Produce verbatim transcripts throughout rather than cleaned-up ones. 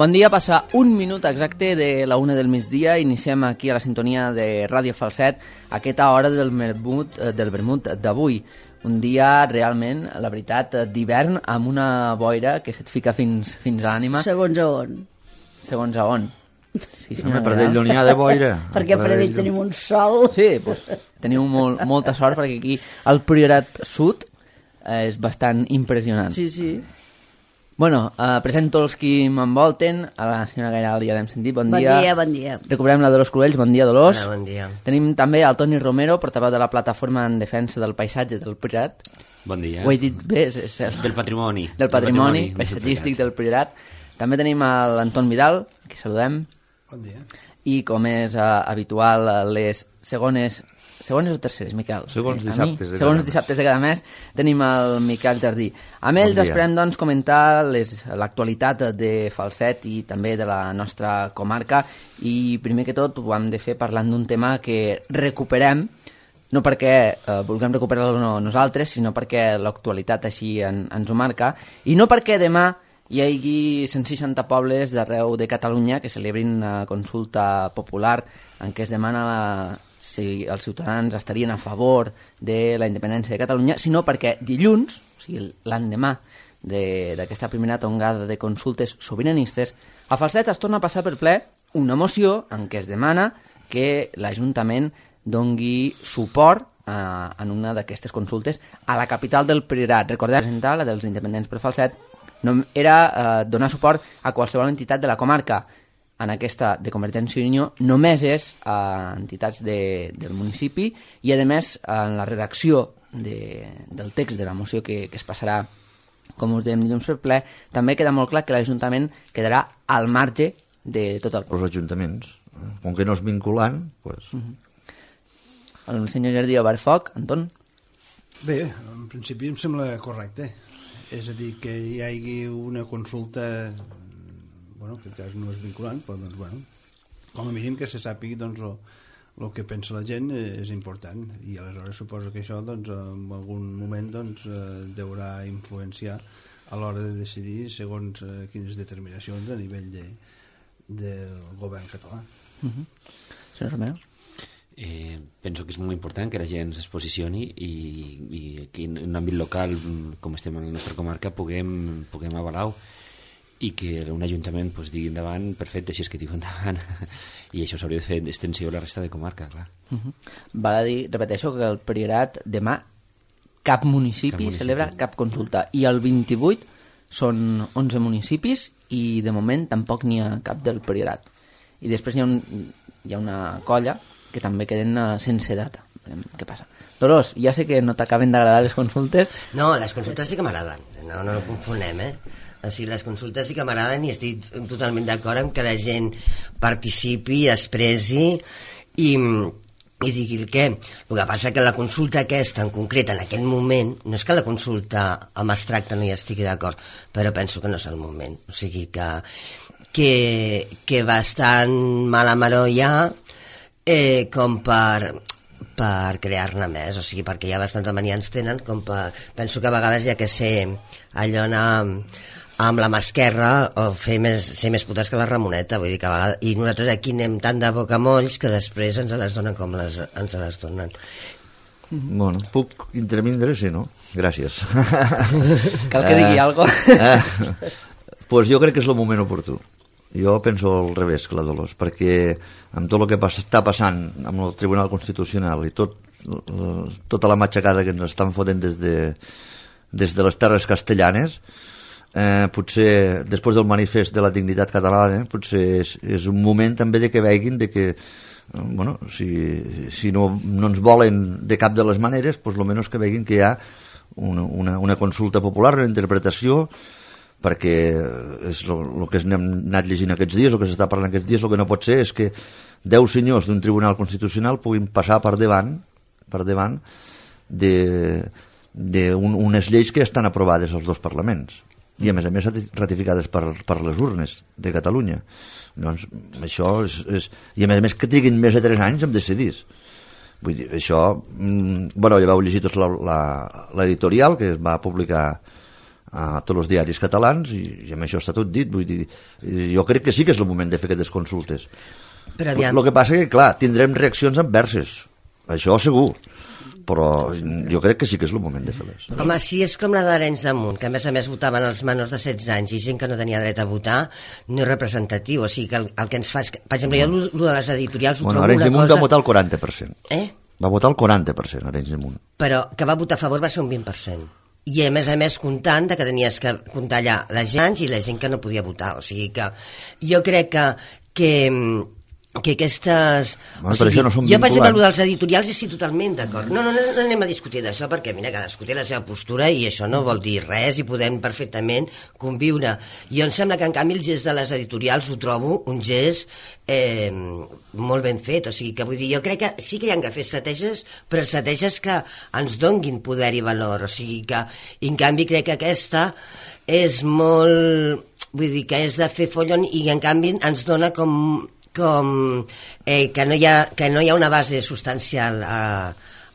Bon dia, passa un minut exacte de la una del migdia. Iniciem aquí a la sintonia de Ràdio Falset aquesta hora del vermut, del vermut d'avui. Un dia realment, la veritat, d'hivern, amb una boira que se't fica fins, fins a l'ànima. Segons a on? Segons a on? Sí, no, per Pradell no n'hi ha de boira. Perquè a Pradell tenim un sol. Sí, doncs, teniu molt, molta sort perquè aquí el Priorat Sud és bastant impressionant. Sí, sí. Bueno, eh, presento els qui m'envolten. A la senyora Gairal ja l'hem sentit, bon, bon dia. Bon dia, bon dia. Recuperem la Dolors Cruells, bon dia, Dolors. Hola, bon dia. Tenim també el Toni Romero, portaveu de la Plataforma en Defensa del Paisatge del Priorat. Bon dia. Ho he dit bé? És, és el... Del patrimoni. Del patrimoni, patrimoni paisatgístic del Priorat. També tenim l'Anton Vidal, que saludem. Bon dia. I com és uh, habitual, les segones... Segones o terceres, Miquel? Segons dissabtes de Segons cada dissabtes de cada mes tenim el Miquel Jardí. Amb ells bon esperem doncs, comentar l'actualitat de Falset i també de la nostra comarca, i primer que tot ho hem de fer parlant d'un tema que recuperem, no perquè eh, vulguem recuperar-lo no, nosaltres, sinó perquè l'actualitat així en, ens ho marca, i no perquè demà hi hagi cent seixanta pobles d'arreu de Catalunya que celebrin una consulta popular en què es demana la si els ciutadans estarien a favor de la independència de Catalunya, sinó perquè dilluns, o sigui l'endemà d'aquesta primera tongada de consultes sobiranistes, a Falset es torna a passar per ple una moció en què es demana que l'Ajuntament dongui suport a, en una d'aquestes consultes a la capital del Priorat. Recordeu, presentar la dels independents per Falset no, era eh, donar suport a qualsevol entitat de la comarca. En aquesta de Convergència i Unió només és a entitats de, del municipi, i a més en la redacció de, del text de la moció que, que es passarà, com us dèiem, dilluns per ple, també queda molt clar que l'Ajuntament quedarà al marge de tot el... Els ajuntaments, com que no és vinculant, doncs... Uh-huh. El senyor Jardí obert foc, Anton? Bé, en principi em sembla correcte. És a dir, que hi hagi una consulta... bueno, que en cas no és vinculant, però doncs, bueno, com a mínim que se sàpigui doncs, el que pensa la gent és important, i aleshores suposo que això doncs, en algun moment doncs, deurà influenciar a l'hora de decidir segons eh, quines determinacions a nivell de, del govern català. Uh-huh. Senyor Romero? Eh, penso que és molt important que la gent es posicioni i, i aquí en un àmbit local, com estem en la nostra comarca, puguem, puguem avalar i que un ajuntament pues, digui endavant, perfecte, així és que diu endavant, i això s'hauria de fer extensió a la resta de comarca, clar. Uh-huh. Val a dir, repeteixo, que el Priorat demà cap municipi, cap municipi celebra cap consulta, i el vint-i-vuit són onze municipis i de moment tampoc n'hi ha cap del Priorat. I després hi ha, un, hi ha una colla que també queden sense data. Veurem què passa. Dolors, ja sé que no t'acaben d'agradar les consultes. No, les consultes sí que m'agraden, no, no no confonem, eh? O sigui, les consultes sí que m'agraden i estic totalment d'acord amb que la gent participi, expressi i, i digui el què. El que passa que la consulta aquesta en concret en aquest moment, no és que la consulta amb abstracte no hi estigui d'acord, però penso que no és el moment. O sigui que, que, que bastant mala maró hi ha eh, com per... per crear-ne més, o sigui, perquè ja bastanta mania ens tenen, com per... penso que a vegades hi ha que ser allò anar amb la mà esquerra o fer més, ser més putes que la Ramoneta, vull dir que a vegades... I nosaltres aquí anem tant de boca molls que després ens les donen com les, ens les donen. Bueno, puc intervindre, sí, no? Gràcies. Cal que digui eh, alguna cosa. Eh, pues jo crec que és el moment oportú. Jo penso al revés que la Dolors, perquè amb tot el que pas, està passant amb el Tribunal Constitucional i tot, tota la matxacada que ens estan fotent des de, des de les terres castellanes, eh, potser després del manifest de la dignitat catalana, potser és, és un moment també de que veguin de que, bueno, si, si no, no ens volen de cap de les maneres, pues, almenys que veguin que hi ha una, una, una consulta popular, una interpretació, perquè és el que hem anat llegint aquests dies, el que s'està parlant aquests dies, el que no pot ser és que deu senyors d'un tribunal constitucional puguin passar per davant per davant d'unes lleis que estan aprovades als dos parlaments i a més a més ratificades per, per les urnes de Catalunya. Doncs això és, és... I a més a més que triguin més de tres anys en decidir. Vull dir, això... Bueno, ja vau llegir tots l'editorial que es va publicar a tots els diaris catalans i, i amb això està tot dit. Vull dir, jo crec que sí que és el moment de fer aquestes consultes. Però aviam... El que passa que, clar, tindrem reaccions adverses, això segur, però jo crec que sí que és el moment de fer-les. Home, si és com la d'Arenys de Munt, que a més a més votaven els menors de setze anys i gent que no tenia dret a votar, no és representatiu. O sigui, que el, el que ens fa... És que, per exemple, jo el de les editorials ho bueno, trobo Arenys una de Munt cosa... va votar el quaranta per cent. Eh? Va votar el quaranta per cent, Arenys de Munt. Però que va votar a favor va ser un vint per cent. I a més a més comptant de que tenies que comptar allà la gent i la gent que no podia votar. O sigui que jo crec que... que que aquestes... Bueno, o sigui, això no són jo, per exemple, vinculants. dels editorials estic totalment d'acord. No, no, no, no anem a discutir d'això, perquè, mira, cadascú té la seva postura i això no vol dir res i podem perfectament conviure. Jo em sembla que, en canvi, el gest de les editorials ho trobo un gest eh, molt ben fet. O sigui, que vull dir, jo crec que sí que hi ha que fer estratègies, però estratègies que ens donguin poder i valor. O sigui que, en canvi, crec que aquesta és molt... Vull dir, que és de fer follon i, en canvi, ens dona com... com eh, que, no hi ha, que no hi ha una base substancial a,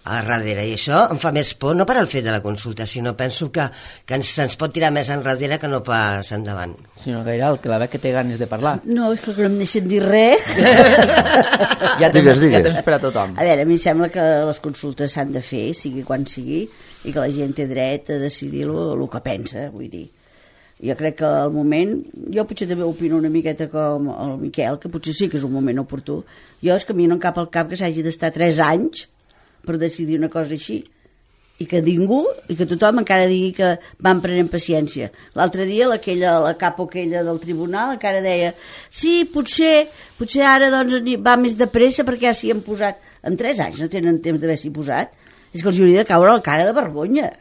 a darrere, i això em fa més por, no per al fet de la consulta, sinó penso que, que ens, ens pot tirar més enrere que no pas endavant. Senyor Gairal, que la ve que té ganes de parlar. No, és que no em deixen dir res. Ja tens, Digues, digues. ja tens per a tothom. A veure, a mi em sembla que les consultes s'han de fer, sigui quan sigui, i que la gent té dret a decidir el que pensa, vull dir. Jo crec que al moment, jo potser també opino una miqueta com el Miquel, que potser sí que és un moment oportú. Jo és que a mi no em cap al cap que s'hagi d'estar tres anys per decidir una cosa així, i que ningú, i que tothom encara digui que van prenent paciència. L'altre dia aquella, la capo aquella del tribunal encara deia, sí, potser, potser ara doncs va més de pressa perquè ja s'hi han posat. En tres anys no tenen temps d'haver-s'hi posat. És que els hauria de caure la cara de vergonya.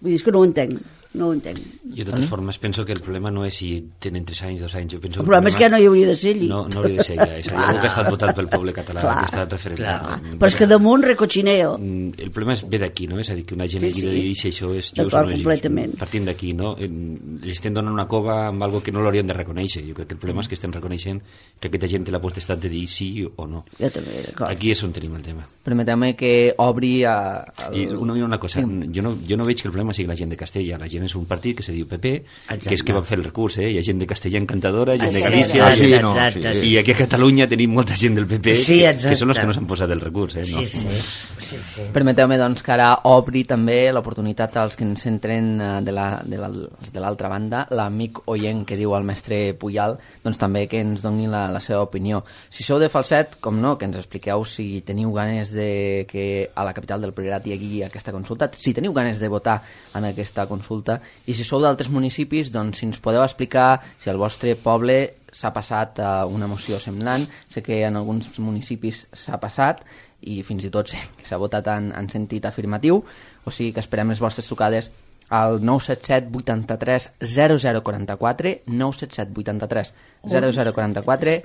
Vull dir, és que no ho entenc. No ho entenc. Jo, de totes formes, penso que el problema no és si tenen tres anys, dos anys. Jo penso El que problema és que no hi hauria de ser allí. No, no hauria de ser ja. És a dir, algú que ha estat votat pel poble català, Clar, que ha estat referendat. Clar. Però és que damunt recochineo. El problema és ve d'aquí, no? És a dir, que una gent Sí, hagi sí. de dir si això és just D'acord, o no és just. completament. Partint d'aquí, no? Li estem donant una cova amb algo que no l'haurien de reconèixer. Jo crec que el problema és que estem reconeixent que aquesta gent té la potestat de dir sí o no. Jo també, d'acord. Aquí és on tenim el tema. Permeteu-me que obri a... El... I una, una cosa, jo no, jo no veig que el problema sigui la gent de Castella. La gent és un partit que se diu P P, Exacte. que és que van fer el recurs, eh? Hi ha gent de Castella encantadora, gent de Exacte, Galícia... Ah, sí, no, exacte, sí. I aquí a Catalunya tenim molta gent del P P Sí, que, exacte. que són els que no s'han posat el recurs, eh? No? Sí, sí. sí, sí. Permeteu-me doncs, que ara obri també l'oportunitat als que ens entren eh, de la- de la- de l'altra banda, l'amic oient que diu el mestre Puyal, doncs també que ens doni la, la seva opinió. Si sou de Falset, com no, que ens expliqueu si teniu ganes de que a la capital del Priorat hi hagi aquesta consulta, si teniu ganes de votar en aquesta consulta, i si sou d'altres municipis, doncs si ens podeu explicar si al vostre poble s'ha passat eh, una moció semblant. Sé que en alguns municipis s'ha passat i fins i tot sé que s'ha votat en, en sentit afirmatiu, o sigui que esperem les vostres trucades al nou set set vuitanta-tres zero zero quaranta-quatre, nou set set vuitanta-tres zero zero quaranta-quatre.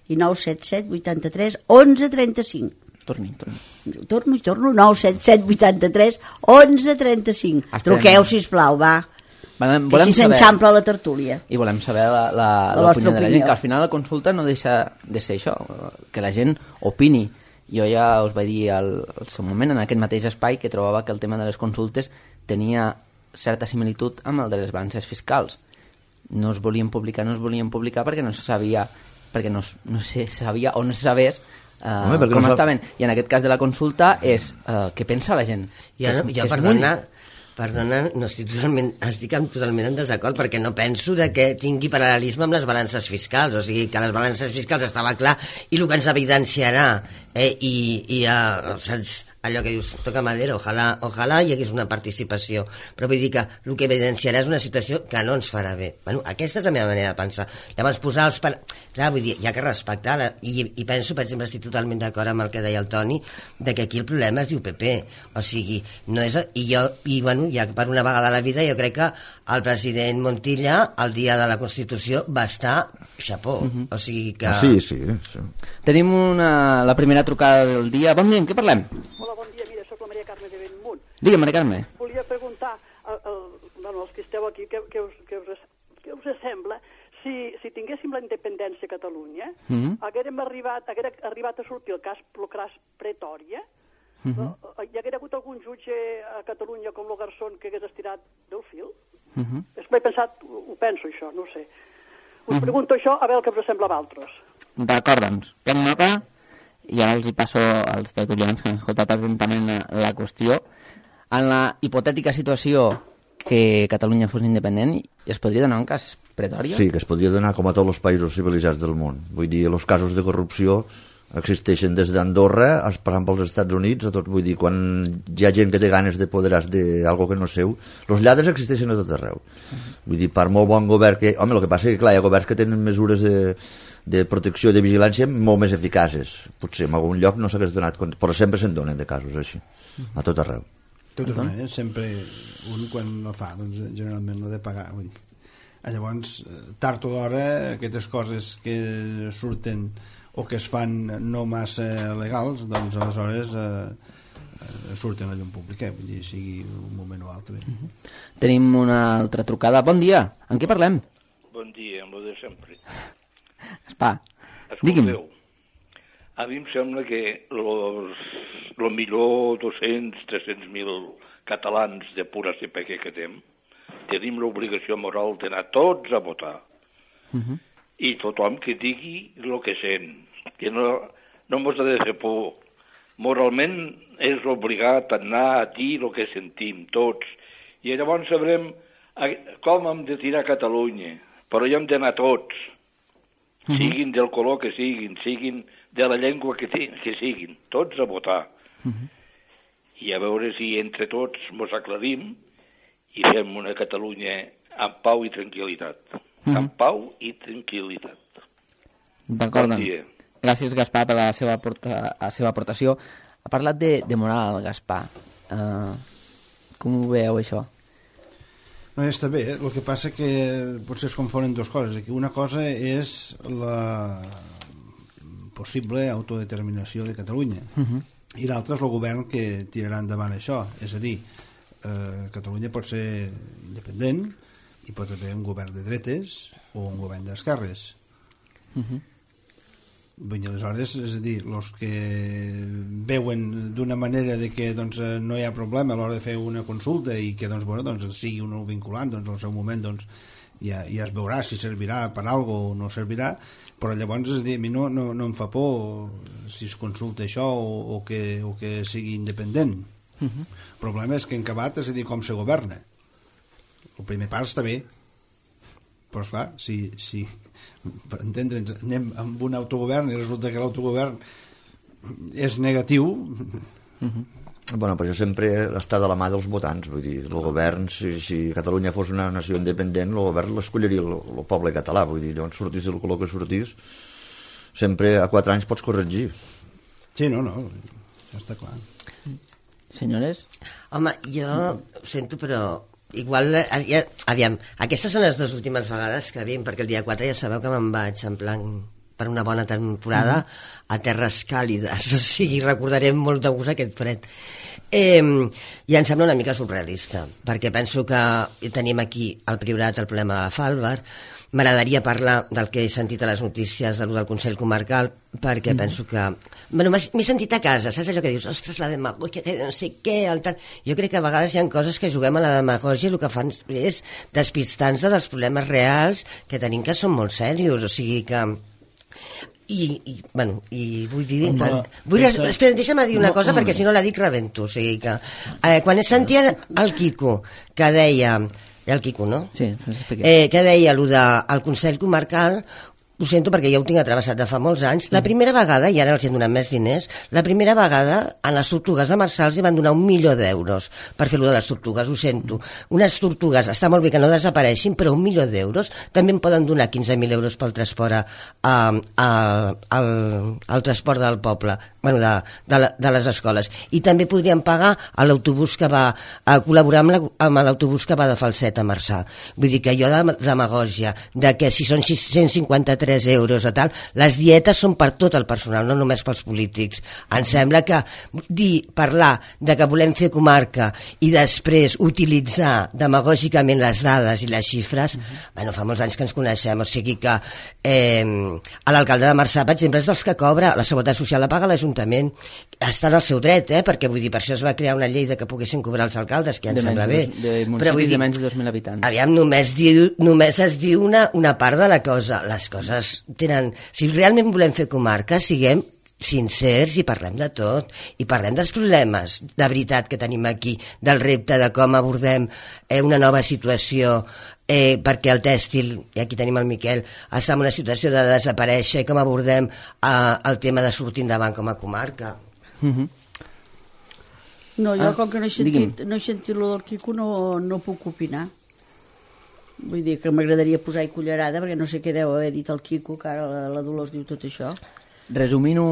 I nou set set vuitanta-tres onze trenta-cinc. Torni, torni. Torno i torno, nou set set vuitanta-tres onze trenta-cinc. Esperem. Truqueu, sisplau, va. Volem, Que volem així saber, s'enxampla la tertúlia. i volem saber la, la, La vostra l'opinió de la gent, opinió. que al final la consulta no deixa de ser això, que la gent opini. Jo ja us vaig dir al, al seu moment, en aquest mateix espai, que trobava que el tema de les consultes tenia certa similitud amb el de les balances fiscals. No es volien publicar, no es volien publicar perquè no se sabia, perquè no, es- no se sabia o no se sabés uh, Home, perquè com no sap- estaven. I en aquest cas de la consulta és uh, què pensa la gent. Jo, no, Que és- jo que és perdona, perdona, no estic totalment, estic en, totalment en desacord perquè no penso de que tingui paral·lelisme amb les balances fiscals, o sigui que les balances fiscals estava clar i el que ens evidenciarà eh, i, i uh, saps, allò que dius, toca madera, ojalà, ojalà hi hagués una participació, però vull dir que el que evidenciarà és una situació que no ens farà bé. Bueno, aquesta és la meva manera de pensar. Llavors, posar els... Par... Clar, vull dir, hi ha que respectar, la... I, i penso, per exemple, estic totalment d'acord amb el que deia el Toni, de que aquí el problema es diu P P, o sigui, no és... I jo, i bueno, ja per una vegada a la vida, jo crec que el president Montilla, el dia de la Constitució, va estar xapó, Mhm. o sigui que... Ah, sí, sí, sí. Tenim una, la primera trucada del dia. Bon dia, en què parlem? Hola, bon dia. Mira, sóc la Maria Carme de Bellmunt. Digue'm, Maria Carme. Volia preguntar al, al, bueno, als que esteu aquí què, què, us, què, us, què us sembla si, si tinguéssim la independència a Catalunya, mm -hmm. haguérem arribat, haguera arribat a sortir el cas Procras Pretòria, mm -hmm. no? Hi haguera hagut algun jutge a Catalunya com lo Garzón que hagués estirat del fil? Uh -huh. És que m'he pensat, ho penso això, no ho sé. Us uh -huh. pregunto això a veure el que us sembla a vosaltres. D'acord, doncs, prenc nota i ara els hi passo als tertulians que han escoltat atentament la qüestió. En la hipotètica situació que Catalunya fos independent, es podria donar un cas Pretòria? Sí, que es podria donar com a tots els països civilitzats del món. Vull dir, els casos de corrupció existeixen des d'Andorra, passant pels Estats Units, a tot, vull dir, quan hi ha gent que té ganes de poderar-se d'algo que no és seu, els lladres existeixen a tot arreu. Uh -huh. Vull dir, per molt bon govern que... Home, el que passa és que, clar, hi ha governs que tenen mesures de, de protecció i de vigilància molt més eficaces. Potser en algun lloc no s'hagués donat compte, però sempre se'n donen de casos així, a tot arreu. De totes maneres, sempre un quan no fa, doncs generalment no ha de pagar. Vull dir. Llavors, tard o d'hora, aquestes coses que surten o que es fan no massa legals, doncs aleshores eh, eh, surten a llum pública, vull dir, sigui un moment o altre. Uh-huh. Tenim una altra trucada. Bon dia, en què parlem? Bon dia, amb lo de sempre. Espà, digui'm. A mi em sembla que los, lo millor dos-cents a tres-cents mil catalans de pura C P Q que tenim, tenim l'obligació moral d'anar tots a votar. Uh-huh. I tothom que digui el que sent, que no, no mos ha de fer por. Moralment és obligat a anar a dir el que sentim, tots. I llavors sabrem com hem de tirar a Catalunya, però hi hem d'anar tots, uh-huh. siguin del color que siguin, siguin de la llengua que, que siguin, tots a votar. Uh-huh. I a veure si entre tots mos aclarim i fem una Catalunya amb pau i tranquil·litat. Uh-huh. Amb pau i tranquil·litat. D'acord, bon doncs. Gràcies, Gaspar, per la seva, aporta, la seva aportació. Ha parlat de, de moral, Gaspar. Uh, com ho veieu, això? No, està bé, eh? El que passa que potser es confonen dues coses. Que una cosa és la possible autodeterminació de Catalunya. Uh-huh. I l'altra és el govern que tirarà endavant això. És a dir, eh, Catalunya pot ser independent, hi pot haver un govern de dretes o un govern d'esquerres. Uh-huh. Vull dir, aleshores, és a dir, els que veuen d'una manera de que doncs, no hi ha problema a l'hora de fer una consulta i que doncs, bueno, doncs, sigui un vinculant, doncs al seu moment doncs, ja, ja es veurà si servirà per alguna cosa o no servirà, però llavors és a dir, a mi no, no, no em fa por si es consulta això o, o, que, o que sigui independent. Uh-huh. El problema és que en acabat és a dir com se governa. El primer pas està bé, però esclar, si, si per entendre'ns anem amb un autogovern i resulta que l'autogovern és negatiu. Uh-huh. Bueno, però això sempre està de la mà dels votants, vull dir, el govern, si, si Catalunya fos una nació independent, el govern l'escolliria el, el poble català, vull dir, llavors sortís del color que sortís, sempre a quatre anys pots corregir. Sí, no, no, està clar. Senyores? Home, jo ho sento, però igual, ja, aviam, aquestes són les dues últimes vegades que vinc, perquè el dia quatre ja sabeu que me'n vaig en plan per una bona temporada mm. a terres càlides, o sigui, recordarem molt de gust aquest fred. Eh, I em sembla una mica surrealista, perquè penso que tenim aquí al Priorat el problema de la Falvar. M'agradaria parlar del que he sentit a les notícies de lo del Consell Comarcal, perquè mm. penso que... Bueno, m'he sentit a casa, saps allò que dius? Ostres, la demagògia, que no sé què, el tal... Jo crec que a vegades hi ha coses que juguem a la demagògia i el que fan és despistar-nos dels problemes reals que tenim, que són molt serios, o sigui que... I, i, bueno, i vull dir... No, no, vull, pensa... Espera, deixa'm dir una no, cosa, no, perquè si no la dic rebento, o sigui que... Eh, quan he sentit el Quico, que deia... El Quico, no? Sí, eh, que deia allò del Consell Comarcal, ho sento perquè ja ho tinc atravessat de fa molts anys, la primera vegada, i ara els hi han donat més diners, la primera vegada a les tortugues de Marçal els van donar un milió d'euros per fer-lo de les tortugues, ho sento. Unes tortugues, està molt bé que no desapareixin, però un milió d'euros també en poden donar quinze mil euros pel transport a, a, a, al, al transport del poble, bueno, de, de, la, de les escoles. I també podrien pagar a l'autobús que va a col·laborar amb, la, amb l'autobús que va de Falset a Marçà. Vull dir que jo de demagògia, de que si són sis cents i cinquanta-tres tres euros o tal. Les dietes són per tot el personal, no només pels polítics. Em sembla que dir, parlar de que volem fer comarca i després utilitzar demagògicament les dades i les xifres, uh-huh. bueno, fa molts anys que ens coneixem, o sigui que eh, l'alcalde de Marçà, per exemple, és dels que cobra, la seguretat social la paga l'Ajuntament, està en el seu dret, eh? Perquè vull dir, per això es va crear una llei de que poguessin cobrar els alcaldes, que ja em de sembla bé. De, de municipis dir, de menys de dos mil habitants. Aviam, només, diu, només es diu una, una part de la cosa. Les coses tenen... Si realment volem fer comarca, siguem sincers i parlem de tot. I parlem dels problemes de veritat que tenim aquí, del repte de com abordem eh, una nova situació, eh, perquè el tèxtil, i aquí tenim el Miquel, està en una situació de desaparèixer, i com abordem eh, el tema de sortir endavant com a comarca. Mhm. No, jo ah, com que no he sentit, no he sentit lo del Quico no, no puc opinar. Vull dir que m'agradaria posar-hi cullerada perquè no sé què deu haver dit el Quico, que ara la, la Dolors diu tot això. Resumint-ho,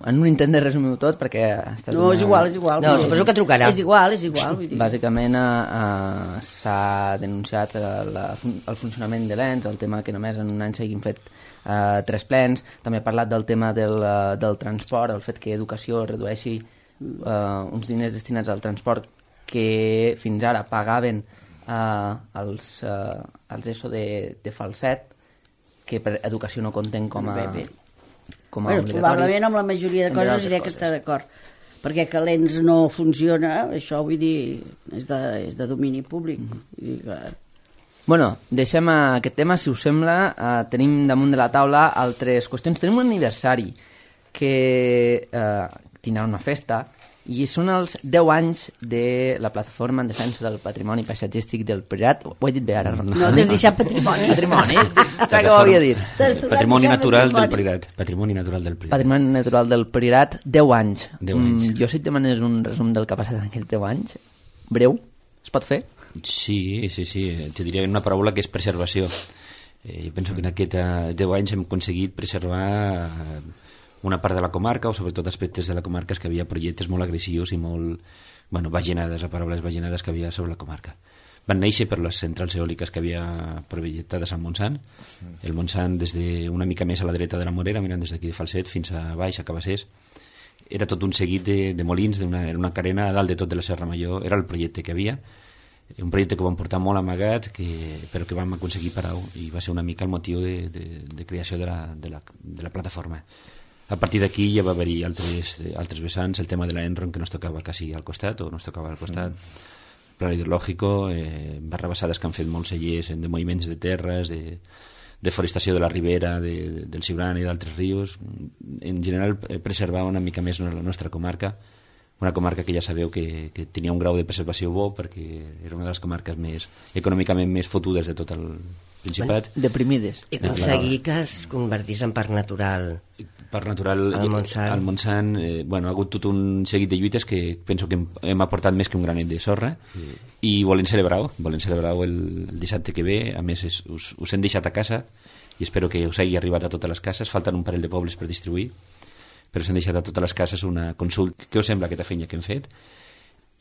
en un intent de resumir-ho tot, perquè... No, és igual, és igual. No, suposo que trucarà. És igual, és igual. Vull dir. Bàsicament eh, s'ha denunciat la, el funcionament de l'ens, el tema que només en un any s'hagin fet eh, tres plens. També ha parlat del tema del, del transport, el fet que educació redueixi Uh, uns diners destinats al transport que fins ara pagaven uh, els, uh, els ESO de, de Falset, que per educació no compten com a, bé, bé. Com a bueno, obligatoris. Probablement amb la majoria de coses diré que està d'acord, perquè que l'E N S no funciona, això vull dir és de, és de domini públic. Mm-hmm. Vull dir que... Bueno, deixem aquest tema, si us sembla. Uh, tenim damunt de la taula altres qüestions. Tenim un aniversari que uh, tindrà una festa, i són els deu anys de la plataforma en defensa del patrimoni paisatgístic del Priorat. Ho he dit bé ara, Ronald? No, t'has deixat patrimoni. Patrimoni, que ho havia dit. Patrimoni natural del Priorat. Patrimoni natural del Priorat. Patrimoni natural del Priorat, deu anys. deu anys. Mm, jo si et demanes un resum del que ha passat en aquests deu anys, breu, es pot fer? Sí, sí, sí. Te diria una paraula que és preservació. Eh, jo penso que en aquests deu anys hem aconseguit preservar una part de la comarca, o sobretot aspectes de la comarca, que havia projectes molt agressius i molt, bueno, vaginades, a paraules vaginades que havia sobre la comarca. Van néixer per les centrals eòliques que havia projectades al Montsant. El Montsant, des de una mica més a la dreta de la Morera, mirant des d'aquí de Falset fins a baix, a Cabassers, era tot un seguit de, de molins, d'una, era una carena a dalt de tot de la Serra Major, era el projecte que havia, un projecte que vam portar molt amagat, que, però que vam aconseguir parar, i va ser una mica el motiu de, de, de creació de la, de la, de la plataforma. A partir d'aquí ja va haver-hi altres, altres vessants, el tema de l'Enron, que no es tocava quasi al costat, o no es tocava al costat, mm. pla hidrològico, eh, barrabassades que han fet molts cellers de moviments de terres, de, de forestació de la ribera, de, del Siurana i d'altres rius. En general, eh, preservar una mica més la nostra comarca, una comarca que ja sabeu que, que tenia un grau de preservació bo, perquè era una de les comarques més econòmicament més fotudes de tot el Principat. Deprimides. I aconseguir que es convertís en parc natural. Parc natural al Montsant, al Montsant eh, bueno, ha hagut tot un seguit de lluites que penso que hem, hem aportat més que un granet de sorra, mm. i volen celebrar-ho volen celebrar-ho el, el dissabte que ve. A més és, us, us hem deixat a casa i espero que us hagi arribat a totes les cases. Falten un parell de pobles per distribuir, però s'han deixat a totes les cases una consulta. Què us sembla aquesta feina que hem fet?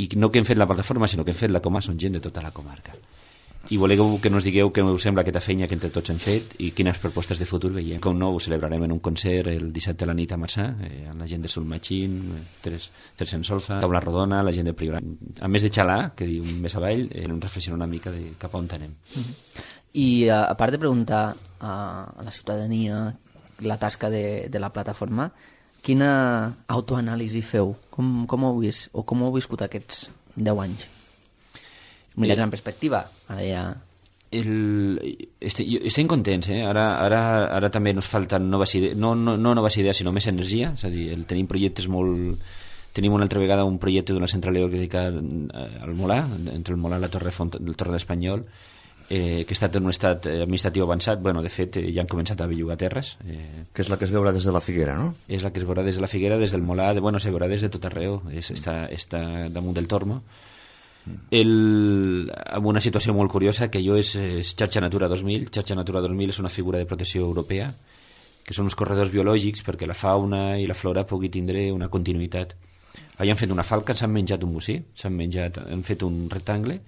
I no que hem fet la plataforma, sinó que hem fet la coma, són gent de tota la comarca. I voleu que nos digueu què us sembla aquesta feina que entre tots hem fet i quines propostes de futur veiem. Com no, ho celebrarem en un concert el dissabte a la nit a Marçà, eh, amb la gent de Sulmachín, Tres, Tres en Solfa, Taula Rodona, la gent de Priorat. A més de xalar, que diu més avall, eh, ens reflexionar una mica de cap a on anem. Mm-hmm. I a, a part de preguntar a, a la ciutadania la tasca de, de la plataforma, quina autoanàlisi feu? Com, com, heu vist, o com heu viscut aquests deu anys? Mirats en perspectiva, ara ja... El, este, jo, estem contents, eh? Ara, ara, ara també ens falten noves idees, no, no, no noves idees, sinó més energia, és a dir, el, tenim projectes molt... Tenim una altra vegada un projecte d'una central eòlica al Molà, entre el Molà i la Torre, Font, el Torre d'Espanyol, eh, que ha estat en un estat administratiu avançat. Bueno, de fet, eh, ja han començat a bellugar terres. Eh, que és la que es veurà des de la Figuera, no? És la que es veurà des de la Figuera, des del Molà, de, bueno, se veurà des de tot arreu, és, està, està damunt del Tormo. El, amb una situació molt curiosa, que jo és, és Xarxa Natura dos mil. Xarxa Natura dos mil és una figura de protecció europea, que són uns corredors biològics perquè la fauna i la flora pugui tindre una continuïtat. Allà han fet una falca, s'han menjat un bocí, s'han menjat, han fet un rectangle,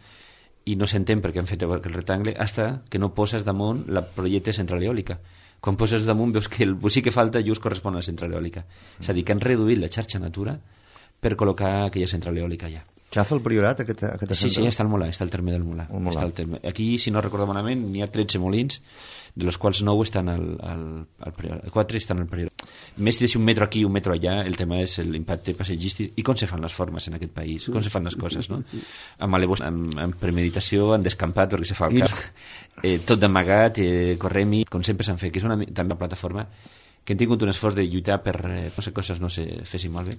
i no s'entén per què han fet el rectangle hasta que no poses damunt la projecte central eòlica. quan poses damunt veus que el bocí que falta just correspon a la central eòlica. És a dir, que han reduït la xarxa Natura per col·locar aquella central eòlica allà. Xafa el Priorat, aquesta, aquesta sí, central? Sí, està al Molar, està al terme del Molar. Està al terme. Aquí, si no recordo malament, n'hi ha tretze molins, de los quals nou estan al, al, al Priorat, quatre estan al Priorat. Més de si un metro aquí, un metro allà, el tema és l'impacte passatgístic i com se fan les formes en aquest país, com se fan les coses, no? Amb, alevos, amb, amb premeditació, en descampat, perquè se fa el cap, eh, tot d'amagat, eh, correm-hi, com sempre s'han fet, que és una, també una plataforma que hem tingut un esforç de lluitar per eh, no sé, coses no se fessin malbé,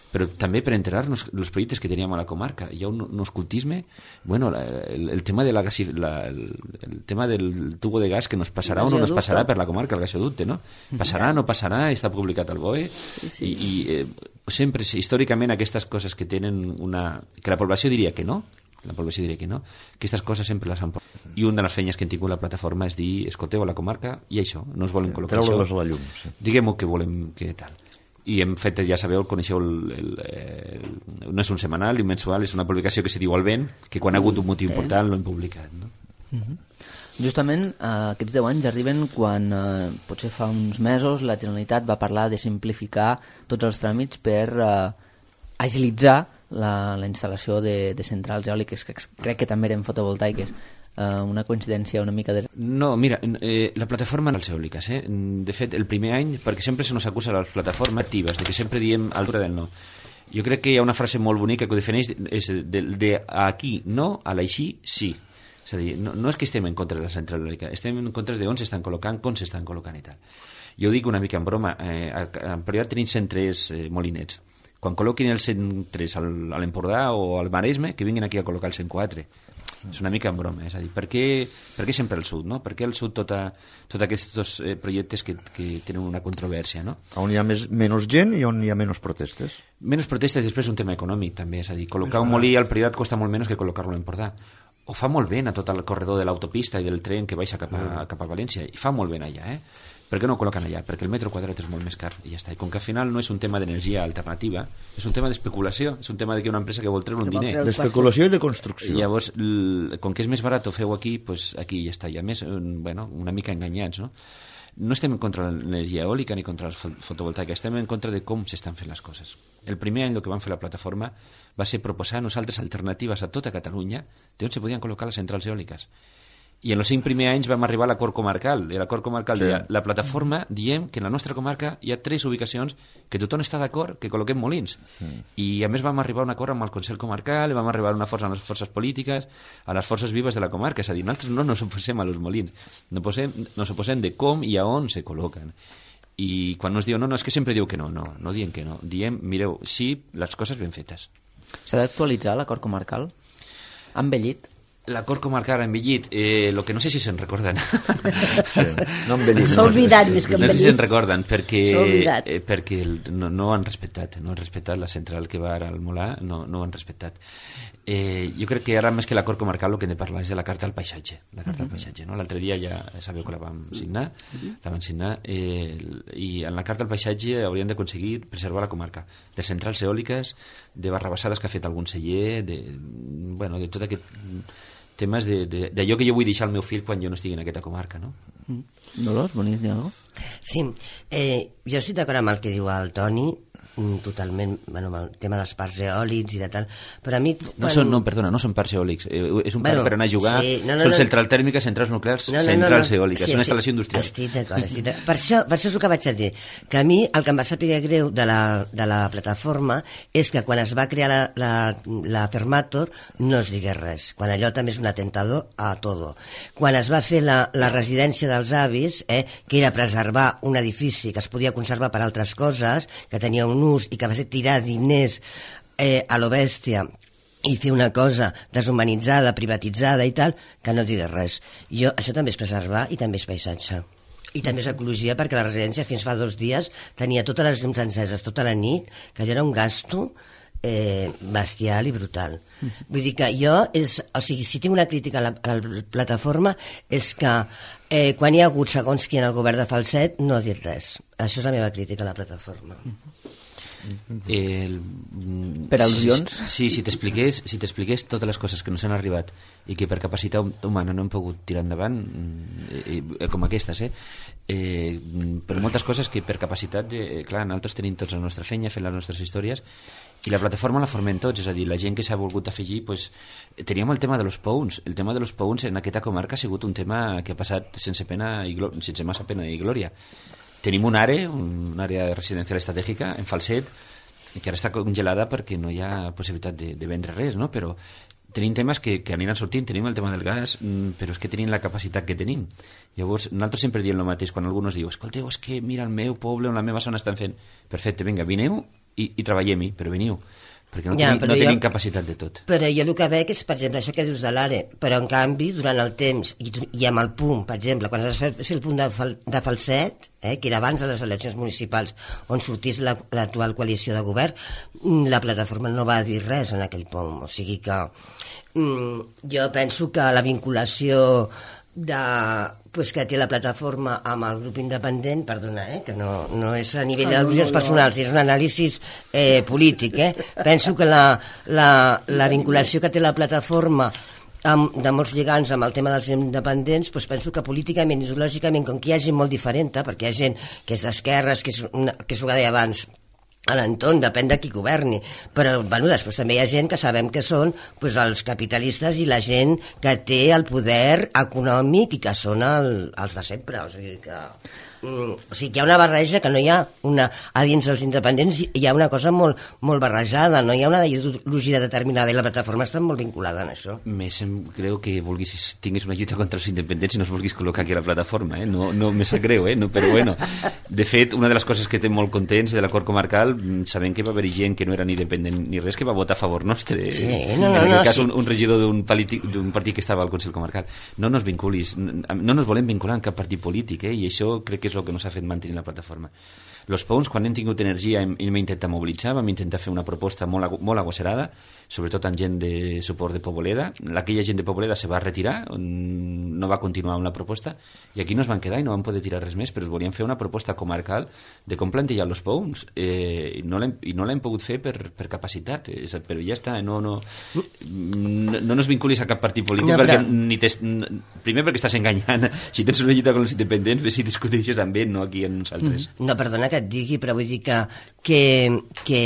però també per enterar-nos els projectes que teníem a la comarca. Hi ha un, un escoltisme, bueno, la, el, el tema de la, la el, el tema del tubo de gas que nos passarà o no nos passarà per la comarca, el gasoducte, no? Passarà, no passarà, està publicat al B O E, sí, sí. i, i eh, sempre, històricament, aquestes coses que tenen una... que la població diria que no, la població diria que no, aquestes coses sempre les han portat. I una de les feines que hem tingut la plataforma és dir, escolteu a la comarca, i això, no es volen col·locar això. Treure-les a la llum, sí. Diguem-ho que volem que tal. I hem fet, ja sabeu, coneixeu el, el, el, no és un setmanal ni un mensual, és una publicació que se diu al vent, que quan ha hagut un motiu important l'hem publicat, no? Uh-huh. Justament eh, aquests deu anys arriben quan eh, potser fa uns mesos la Generalitat va parlar de simplificar tots els tràmits per eh, agilitzar la, la instal·lació de, de centrals eòliques, que crec que també eren fotovoltaiques. Uh, una coincidència una mica de... No, mira, eh, la plataforma no és eòliques, eh? De fet, el primer any, perquè sempre se nos acusa les plataformes actives, de que sempre diem altura del no. Jo crec que hi ha una frase molt bonica que ho defineix, és de, de aquí no, a l'així sí. És a dir, no, no és que estem en contra de la central eòlica, estem en contra de on s'estan col·locant, com s'estan col·locant i tal. Jo ho dic una mica en broma, eh, en període tenim cent tres eh, molinets. Quan col·loquin els cent tres al, a l'Empordà o al Maresme, que vinguin aquí a col·locar el cent quatre. És una mica en broma, és a dir, per què, per què sempre el sud, no? Per què el sud tota, tots aquests eh, projectes que, que tenen una controvèrsia, no? On hi ha més, menys gent i on hi ha menys protestes? Menys protestes i després un tema econòmic també, és a dir, col·locar un molí al Priorat costa molt menys que col·locar-lo a l'Empordà. O fa molt bé a tot el corredor de l'autopista i del tren que baixa cap a, cap a València, i fa molt bé allà, eh? Per què no ho col·loquen allà? Perquè el metro quadrat és molt més car i ja està. I com que al final no és un tema d'energia alternativa, és un tema d'especulació, és un tema de que una empresa que vol treure un diner. D'especulació i de construcció. I llavors, com que és més barat ho feu aquí, pues aquí ja està. I a més, bueno, una mica enganyats, no? No estem en contra de l'energia eòlica ni contra la fotovoltaica, estem en contra de com s'estan fent les coses. El primer any el que vam fer la plataforma va ser proposar a nosaltres alternatives a tota Catalunya d'on se podien col·locar les centrals eòliques. I en els cinc primers anys vam arribar a l'acord comarcal. I l'acord comarcal sí. deia, la plataforma diem que en la nostra comarca hi ha tres ubicacions que tothom està d'acord que col·loquem molins. Sí. I a més vam arribar a un acord amb el Consell Comarcal, vam arribar a una força amb les forces polítiques, a les forces vives de la comarca. És a dir, nosaltres no ens oposem a los molins, no posem, nos oposem de com i a on se col·loquen. I quan nos diu, no, no, és que sempre diu que no, no, no diem que no. Diem, mireu, sí, les coses ben fetes. S'ha d'actualitzar l'acord comarcal? Ha envellit? L'acord comarcal ha envellit, eh, lo que no sé si se'n recorden. Sí, no envellit. S'ha oblidat més que envellit. No sé si se'n recorden, perquè, eh, perquè el, no, no han respectat, no han respectat la central que va ara al Molar, no, no ho han respectat. Eh, jo crec que ara més que l'acord comarcal el que hem de parlar és de la carta al paisatge. La carta al paisatge, no? L'altre dia ja sabeu que la vam signar, la vam signar eh, i en la carta al paisatge hauríem d'aconseguir preservar la comarca de centrals eòliques, de barrabassades que ha fet algun celler, de, bueno, de tot aquest temes d'allò que jo vull deixar al meu fill quan jo no estigui en aquesta comarca, no? Mm. Dolors, volies dir alguna cosa? Sí, eh, jo estic d'acord amb el que diu el Toni, totalment, bueno, amb el tema dels parcs eòlics i de tal, però a mi... No, quan... són, no, perdona, no són parcs eòlics, eh, és un bueno, parc per anar a jugar, sí, no, no, són no, centrals tèrmiques, centrals nuclears, no, no, centrals no, no, eòliques, sí, és una sí, instal·lació industrial. Estic d'acord, estic d'acord. Per això, per això és el que vaig a dir, que a mi el que em va saber greu de la, de la plataforma és que quan es va crear la, la, la Fermator no es digués res, quan allò també és un atentador a todo. Quan es va fer la, la residència dels avis, eh, que era preservar un edifici que es podia conservar per altres coses, que tenia un ús i que va ser tirar diners eh, a lo bèstia i fer una cosa deshumanitzada, privatitzada i tal, que no digués res. Jo, això també és preservar i també és paisatge. I també és ecologia, perquè la residència fins fa dos dies tenia totes les llums enceses tota la nit, que allò era un gasto eh, bestial i brutal. Vull dir que jo, és, o sigui, si tinc una crítica a la, a la plataforma és que eh, quan hi ha hagut segons qui en el govern de Falset no ha dit res. Això és la meva crítica a la plataforma. El, per al·lusions? Sí, si t'expliqués si t'expliqués totes les coses que no s'han arribat i que per capacitat humana no hem pogut tirar endavant, eh, eh, com aquestes, eh? Eh, però moltes coses que per capacitat, de, clar, nosaltres tenim tots la nostra feina, fent les nostres històries, i la plataforma la formem tots, és a dir, la gent que s'ha volgut afegir, pues, teníem el tema de los pounds. El tema de los pounds en aquesta comarca ha sigut un tema que ha passat sense pena i glò- sense massa pena i glòria. Tenim un àrea, un àrea residencial estratègica en Falset, que ara està congelada perquè no hi ha possibilitat de, de vendre res, no? Però tenim temes que, que aniran sortint, tenim el tema del gas, però és que tenim la capacitat que tenim. Llavors, nosaltres sempre diem el mateix, quan algú ens diu, escolteu, és que mira, el meu poble, on la meva zona estan fent, perfecte, vinga, vineu i, i treballem-hi, però veniu, perquè no, Ja, tenim, però no jo- tenim capacitat de tot. Però jo el que veig és, per exemple, això que dius de l'Are, però en canvi, durant el temps, i, i amb el punt, per exemple, quan es va fer el punt de, fal, de Falset, eh, que era abans de les eleccions municipals, on sortís la- l'actual coalició de govern, mm, la plataforma no va dir res en aquell punt, o sigui que mm, jo penso que la vinculació de, pues, que té la plataforma amb el grup independent, perdona, eh, que no, no és a nivell d'al·lusions personals, és un anàlisi eh, polític. Eh? Penso que la, la, la vinculació que té la plataforma amb, de molts lligants amb el tema dels independents, doncs penso que políticament, ideològicament, com que hi ha gent molt diferent, perquè hi ha gent que és d'esquerres, que és, una, que és el que deia abans, a l'entorn, depèn de qui governi, però bueno, després també hi ha gent que sabem que són pues, els capitalistes i la gent que té el poder econòmic i que són el, els de sempre, o sigui que mm, o sigui que hi ha una barreja que no hi ha una, a dins dels independents hi ha una cosa molt, molt barrejada, no hi ha una ideologia determinada i la plataforma està molt vinculada en això. Més em creu que vulguis, tinguis una lluita contra els independents i no es vulguis col·locar aquí a la plataforma, eh? No, no me sap greu, eh? No, però bueno, de fet, una de les coses que té molt contents de l'acord comarcal, sabent que va haver gent que no era ni independent ni res, que va votar a favor nostre. Eh? Sí, no, no, en aquest no, cas, sí. un, un regidor d'un partit que estava al Consell Comarcal. No nos vinculis, no nos volem vincular en cap partit polític, eh? I això crec que és el que nos ha fet mantenir la plataforma. Los Pounds, quan hem tingut energia, hem, hem intentat mobilitzar, vam intentar fer una proposta molt, agu molt agosserada, sobretot amb gent de suport de Poboleda. Aquella gent de Poboleda se va retirar, no va continuar amb la proposta, i aquí no es van quedar i no van poder tirar res més, però es volien fer una proposta comarcal de com plantejar los Pounds, eh, i no l'hem pogut fer per, per capacitat, eh, però ja està, no, no, no, no nos vinculis a cap partit polític, no, perquè però... ni tes, primer perquè estàs enganyant, si tens una lluita con els independents, ves si discuteixes amb ells, no aquí amb nosaltres. No, perdona que et digui, però vull dir que, que, que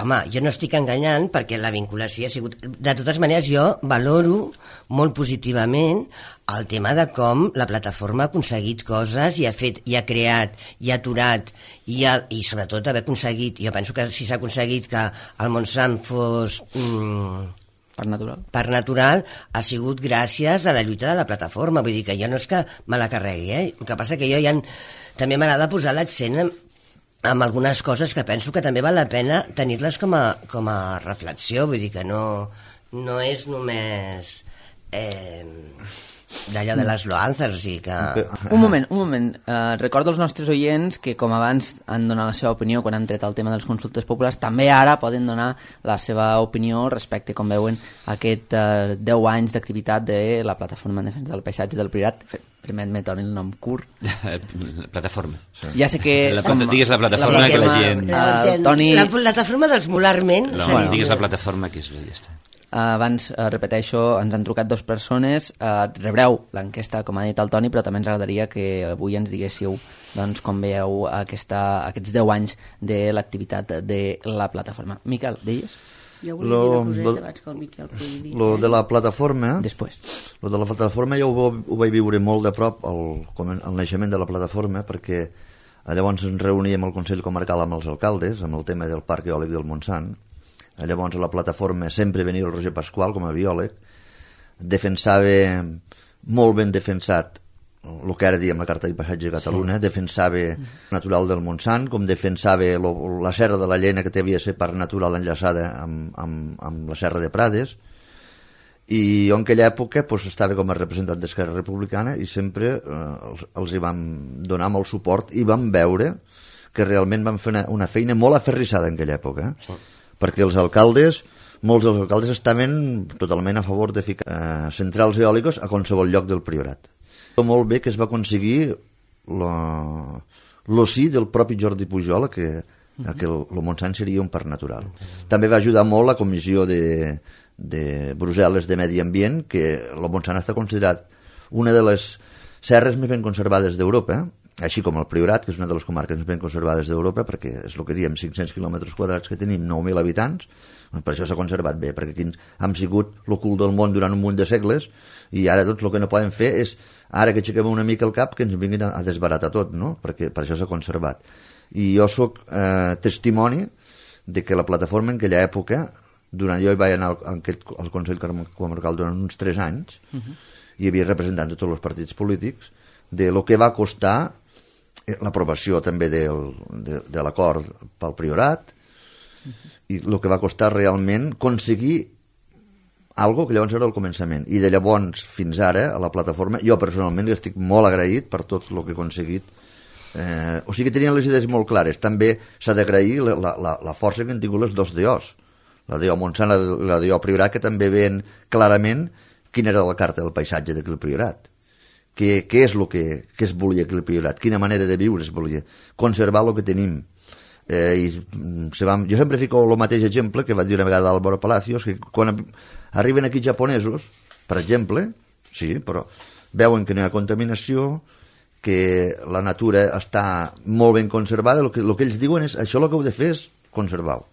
home, jo no estic enganyant perquè la vinculació ha sigut... De totes maneres, jo valoro molt positivament el tema de com la plataforma ha aconseguit coses i ha fet, i ha creat, i ha aturat, i, ha, i sobretot haver aconseguit, jo penso que si s'ha aconseguit que el Montsant fos... Mm, per natural. Per natural ha sigut gràcies a la lluita de la plataforma, vull dir que jo no és que me la carregui, eh? El que passa que jo ja en... també m'agrada posar l'accent en, amb algunes coses que penso que també val la pena tenir-les com, a, com a reflexió, vull dir que no, no és només eh, d'allò de les loanzas, o sigui que... Un moment, un moment. Uh, recordo als nostres oients que, com abans han donat la seva opinió quan han tret el tema de les consultes populars, també ara poden donar la seva opinió respecte, com veuen, a aquest uh, deu anys d'activitat de la Plataforma en Defensa del Paisatge del Priorat. Permet-me tornar el nom curt. Plataforma. Sí. Ja sé que... La, com, digues la plataforma la que la gent... Uh, Toni... La plataforma dels Molarment... No, bueno, digues la plataforma que és bé, ja està. Uh, abans, uh, repeteixo, ens han trucat dues persones, uh, rebreu l'enquesta, com ha dit el Toni, però també ens agradaria que avui ens diguéssiu doncs, com veieu aquesta, aquests deu anys de l'activitat de la plataforma. Miquel, deies? Jo volia dir una coseta abans que el Miquel pugui dir. Lo de la plataforma... Després. Lo de la plataforma jo ho, ho vaig viure molt de prop, el, el naixement de la plataforma, perquè llavors ens reuníem al Consell Comarcal amb els alcaldes, amb el tema del Parc Eòlic del Montsant. Llavors a la plataforma sempre venia el Roger Pasqual com a biòleg, defensava molt ben defensat el que ara diem la Carta de Paisatge de Catalunya, sí. Defensava natural del Montsant, com defensava lo, la serra de la Llena, que havia de ser part natural enllaçada amb, amb, amb la serra de Prades, i jo en aquella època pues, estava com a representant d'Esquerra Republicana i sempre eh, els, els hi vam donar molt suport i vam veure que realment van fer una, una feina molt aferrissada en aquella època, eh? Sí. Perquè els alcaldes, molts dels alcaldes estaven totalment a favor de ficar eh, centrals eòliques a qualsevol lloc del Priorat. Molt bé que es va aconseguir el sí del propi Jordi Pujol que que el, el Montsant seria un parc natural. També va ajudar molt la comissió de, de Brussel·les de Medi Ambient, que el Montsant està considerat una de les serres més ben conservades d'Europa, així com el Priorat, que és una de les comarques més ben conservades d'Europa, perquè és el que diem, cinc-cents quilòmetres quadrats que tenim, nou mil habitants, per això s'ha conservat bé, perquè aquí hem sigut l'ocult del món durant un munt de segles i ara doncs el que no poden fer és, ara que aixequem una mica el cap, que ens vinguin a, a desbaratar tot, no? Perquè per això s'ha conservat. I jo sóc eh, testimoni de que la plataforma en aquella època, durant jo hi vaig anar al, al, al Consell Comarcal durant uns tres anys, uh-huh. hi havia representants de tots els partits polítics, de lo que va costar l'aprovació també del, de, de l'acord pel Priorat, i el que va costar realment aconseguir algo que llavors era el començament. I de llavors fins ara, a la plataforma, jo personalment li estic molt agraït per tot el que he aconseguit. Eh, o sigui que tenien les idees molt clares. També s'ha d'agrair la, la, la força que han tingut les dos D Os, la D O Montsant i la D O Priorat, que també veien clarament quina era la carta del paisatge d'aquell Priorat. Què, què és el que, que es volia aquell Priorat? Quina manera de viure es volia? Conservar el que tenim. Eh, i se va, jo sempre fico el mateix exemple que va dir una vegada Álvaro Palacios, que quan arriben aquí japonesos, per exemple, sí, però veuen que no hi ha contaminació, que la natura està molt ben conservada, el que, el que ells diuen és això el que heu de fer és conservar-ho.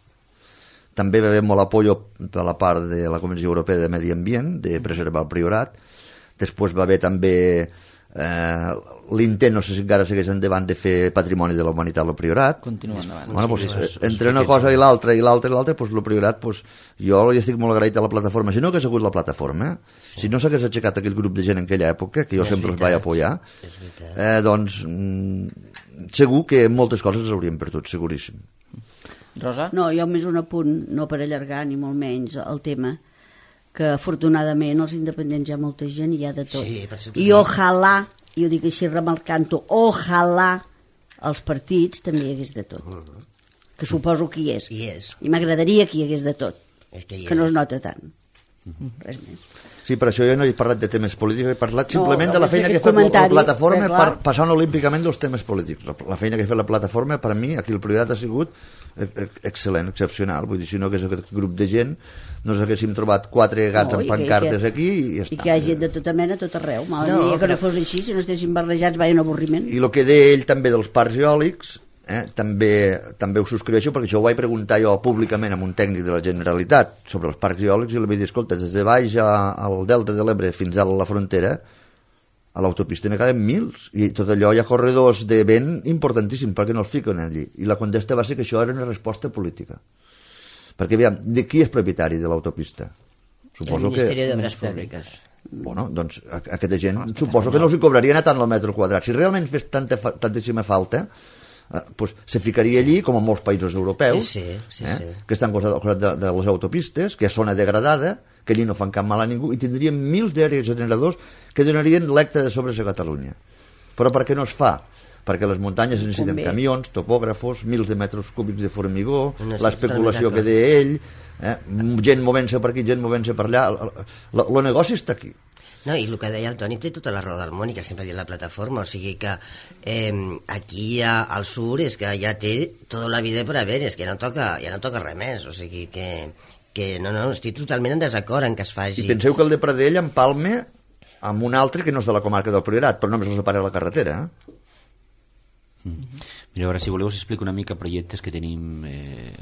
També va haver molt apoyo de la part de la Comissió Europea de Medi Ambient de preservar el Priorat. Després va haver també Eh, l'intent, no sé si encara segueix endavant, de fer Patrimoni de la Humanitat el Priorat. Continua endavant. Bueno, pues, entre una cosa i l'altra i l'altra i l'altra, pues, el Priorat, pues, jo hi estic molt agraït a la plataforma. Si no hagués hagut la plataforma, sí. si no s'hagués aixecat aquell grup de gent en aquella època, que jo és sempre veritat. els vaig apoyar, eh, doncs mm, segur que moltes coses les hauríem perdut, seguríssim. Rosa? No, jo més un apunt, no per allargar ni molt menys el tema, que afortunadament els independents hi ha molta gent i hi ha de tot. Sí, I ojalà, i ho dic així remarcant-ho, ojalà els partits també hi hagués de tot. Uh -huh. Que suposo que hi és. Hi és. I m'agradaria que hi hagués de tot. És que, que no es nota tant. Uh -huh. Res més. Sí, per això jo no he parlat de temes polítics, he parlat simplement no, de la feina que ha fet la plataforma per, passant olímpicament dels temes polítics. La, la feina que ha fet la plataforma, per mi, aquí el Priorat ha sigut excel·lent, excepcional. Vull dir, si no hagués aquest grup de gent, no ens haguéssim trobat quatre gats no, amb pancartes que, aquí i ja està. I que hi ha gent de tota mena a tot arreu. M'agradaria no, que no fos així, si no estéssim barrejats, vaya un avorriment. I el que deia ell també dels parcs eòlics, eh, també, també ho subscriveixo, perquè això ho vaig preguntar jo públicament amb un tècnic de la Generalitat sobre els parcs eòlics i li vaig dir, escolta, des de baix al Delta de l'Ebre fins a la frontera, a l'autopista n'hi caben mils, i tot allò hi ha corredors de vent importantíssims, perquè no els fiquen allí. I la contesta va ser que això era una resposta política. Perquè, aviam, de qui és propietari de l'autopista? Suposo el Ministeri que... d'Obres Públiques. Bueno, doncs a, a aquesta gent no, suposo que no els hi cobrarien a tant el metre quadrat. Si realment fes tanta, tantíssima falta, eh, pues, se ficaria allí, com en molts països europeus, sí, sí, sí, eh, sí. que estan al costat de, de les autopistes, que és zona degradada, que allí no fan cap mal a ningú, i tindrien mils d'aeres generadors que donarien l'hecta de sobres a Catalunya. Però per què no es fa? Perquè les muntanyes necessiten camions, topògrafos, mils de metres cúbics de formigó, no l'especulació que deia ell, eh, gent movent-se per aquí, gent movent-se per allà, el negoci està aquí. No, i el que deia el Toni té tota la raó del món, i que sempre ha dit la plataforma, o sigui que eh, aquí a, al sur és que ja té tota la vida per haver, és que no toca, ja no toca res més, o sigui que, que no, no, estic totalment en desacord en que es faci. I penseu que el de Pradell empalma amb un altre que no és de la comarca del Priorat, però només els separa la carretera, eh? Mm. Mira, ara, si voleu, us explico una mica projectes que tenim, eh,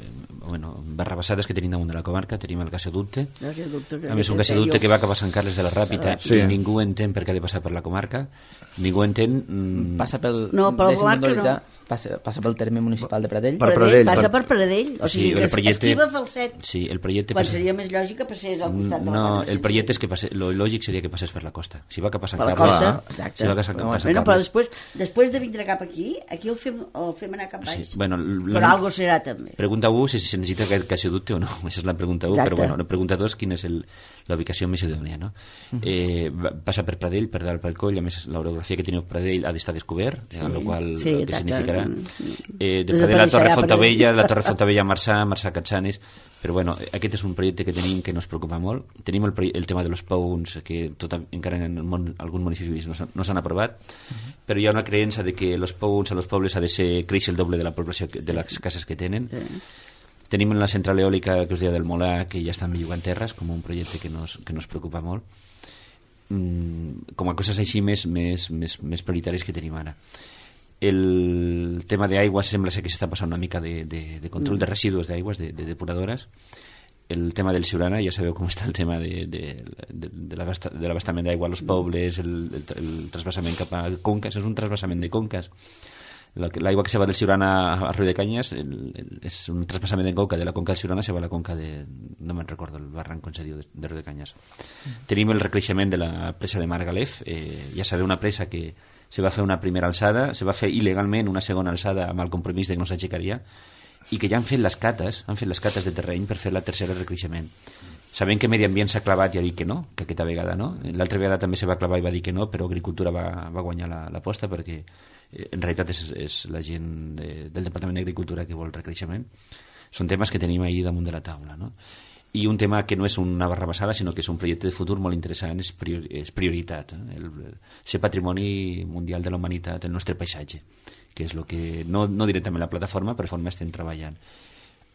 bueno, barrabassades que tenim damunt de la comarca. Tenim el gasoducte, a més un gasoducte que va cap a Sant Carles de la Ràpita, sí. I ningú entén per què ha de passar per la comarca, ningú entén... Mm... Passa pel... No, per la comarca no. Passa, passa pel terme municipal de Pradell. Per Pradell, passa per Pradell, o sigui, sí, que projecte... esquiva Falset. Sí, el projecte... Quan passa... seria més lògic que passés al costat de la no, costa. el projecte és que passe... lo lògic seria que passés per la costa. Si va cap a Sant per Carles... Per la costa, exacte. Si va cap a Sant, no, a Sant bueno, Carles... però després, després de vindre cap aquí, aquí el fem, el fem anar cap baix. Sí, bueno, però algo serà també. Pregunta-ho si se necessita aquest cert que ha sigut o no, aquesta és la pregunta u, però bueno, la pregunta dos, quina és la ubicació més idònia, no? Uh -huh. eh, passa per Pradell, per dalt pel coll, a més l'orografia que teniu a Pradell ha d'estar descobert, sí. amb la qual sí, el que significarà eh, de Pradell a la Torre Fontavella, la Torre Fontavella a Marçà, Marçà a Catsanes, però bueno, aquest és un projecte que tenim que ens preocupa molt. Tenim el, el tema de los pous, que tot, encara en el món, alguns municipis no s'han no aprovat, uh -huh. però hi ha una creença de que los pous a los pobles ha de ser créixer el doble de la població, de les cases que tenen. Sí. Tenim la central eòlica que us deia del Molà, que ja estan bellugant terres, com un projecte que nos, que nos preocupa molt. Mm, com a coses així més, més, més, més prioritàries que tenim ara. El tema d'aigua sembla ser que s'està passant una mica de, de, de control mm. de residus d'aigües, de, de depuradores. El tema del Siurana, ja sabeu com està el tema de, de, de, de l'abastament d'aigua als pobles, el, el, el trasbassament cap a conques, és un trasbassament de conques. L'aigua que se va del Siurana a Riu de Canyes el, el, és un traspassament de conca de la conca del Siurana, se va a la conca de, no me'n recordo el barranc com se diu, de, de Riu de Canyes. Mm. Tenim el recreixement de la presa de Margalef, eh, ja sabeu, una presa que se va fer una primera alçada, se va fer il·legalment una segona alçada amb el compromís de que no s'aixecaria, i que ja han fet les cates, han fet les cates de terreny per fer la tercera recreixement. Sabem que Medi Ambient s'ha clavat i ha dit que no, que aquesta vegada no. L'altra vegada també se va clavar i va dir que no, però Agricultura va, va guanyar l'aposta perquè en realitat és, és la gent de, del Departament d'Agricultura que vol recreixement. Són temes que tenim ahir damunt de la taula, no? I un tema que no és una barra basada, sinó que és un projecte de futur molt interessant, és, priori, és prioritat, eh? el, ser patrimoni mundial de la humanitat, el nostre paisatge, que és el que, no, no directament la plataforma, però forma estem treballant.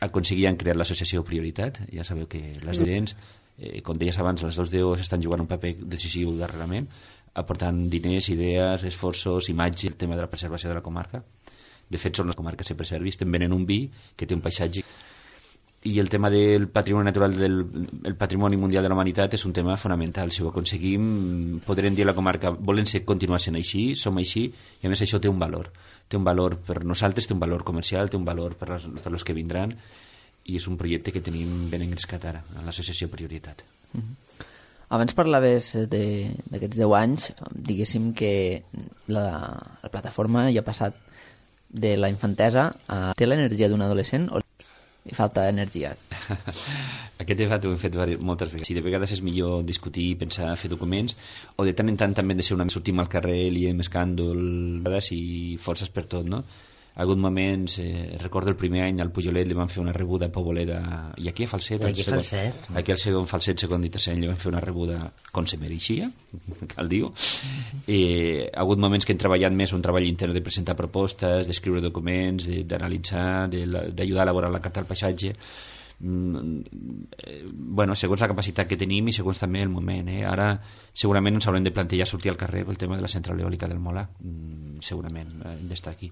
Aconseguien crear l'associació Prioritat, ja sabeu que les diferents, eh, com deies abans, les dos D Os estan jugant un paper decisiu darrerament, aportant diners, idees, esforços, imatge, el tema de la preservació de la comarca. De fet, són les comarques que preservi, estem venent un vi que té un paisatge. I el tema del patrimoni natural, del el patrimoni mundial de la humanitat és un tema fonamental. Si ho aconseguim, podrem dir a la comarca, volen ser, continuar sent així, som així, i a més això té un valor. Té un valor per nosaltres, té un valor comercial, té un valor per les, per los que vindran, i és un projecte que tenim ben engrescat ara, a l'associació Prioritat. Mm-hmm. Abans parlaves d'aquests deu anys, diguéssim que la, la plataforma ja ha passat de la infantesa a... Té l'energia d'un adolescent o li falta energia? Aquest debat ho hem fet moltes vegades. Si de vegades és millor discutir, pensar, fer documents, o de tant en tant també de ser una... sortim al carrer, liem escàndol i forces per tot, no? Ha hagut moments, eh, recordo el primer any al Pujolet li van fer una rebuda a Poboleda, i aquí a Falset, aquí, segon, Falset. aquí al segon Falset, segon i tercer any li van fer una rebuda com se mereixia, cal dir-ho. Eh, ha hagut moments que hem treballat més un treball intern de presentar propostes, d'escriure documents, d'analitzar, d'ajudar a elaborar la carta al paisatge. Mm, eh, bueno, segons la capacitat que tenim i segons també el moment, eh? Ara segurament ens haurem de plantejar sortir al carrer pel tema de la central eòlica del Molà, mm, segurament hem d'estar aquí.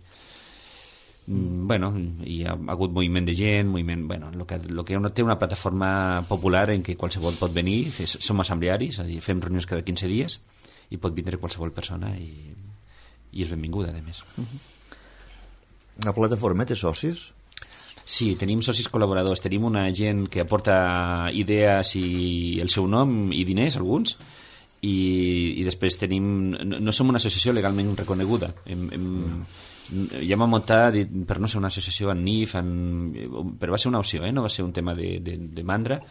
Bueno, hi ha hagut moviment de gent, moviment, bueno, el que, lo que té una plataforma popular en què qualsevol pot venir, fes, som assemblearis, és a dir, fem reunions cada quinze dies i pot vindre qualsevol persona i, i és benvinguda, a més. La plataforma té socis? Sí, tenim socis col·laboradors, tenim una gent que aporta idees i el seu nom i diners, alguns, i, i després tenim... No, no som una associació legalment reconeguda, hem... hem ja m'ha muntat per no ser una associació en N I F, en... però va ser una opció, eh? No va ser un tema de, de, de mandra,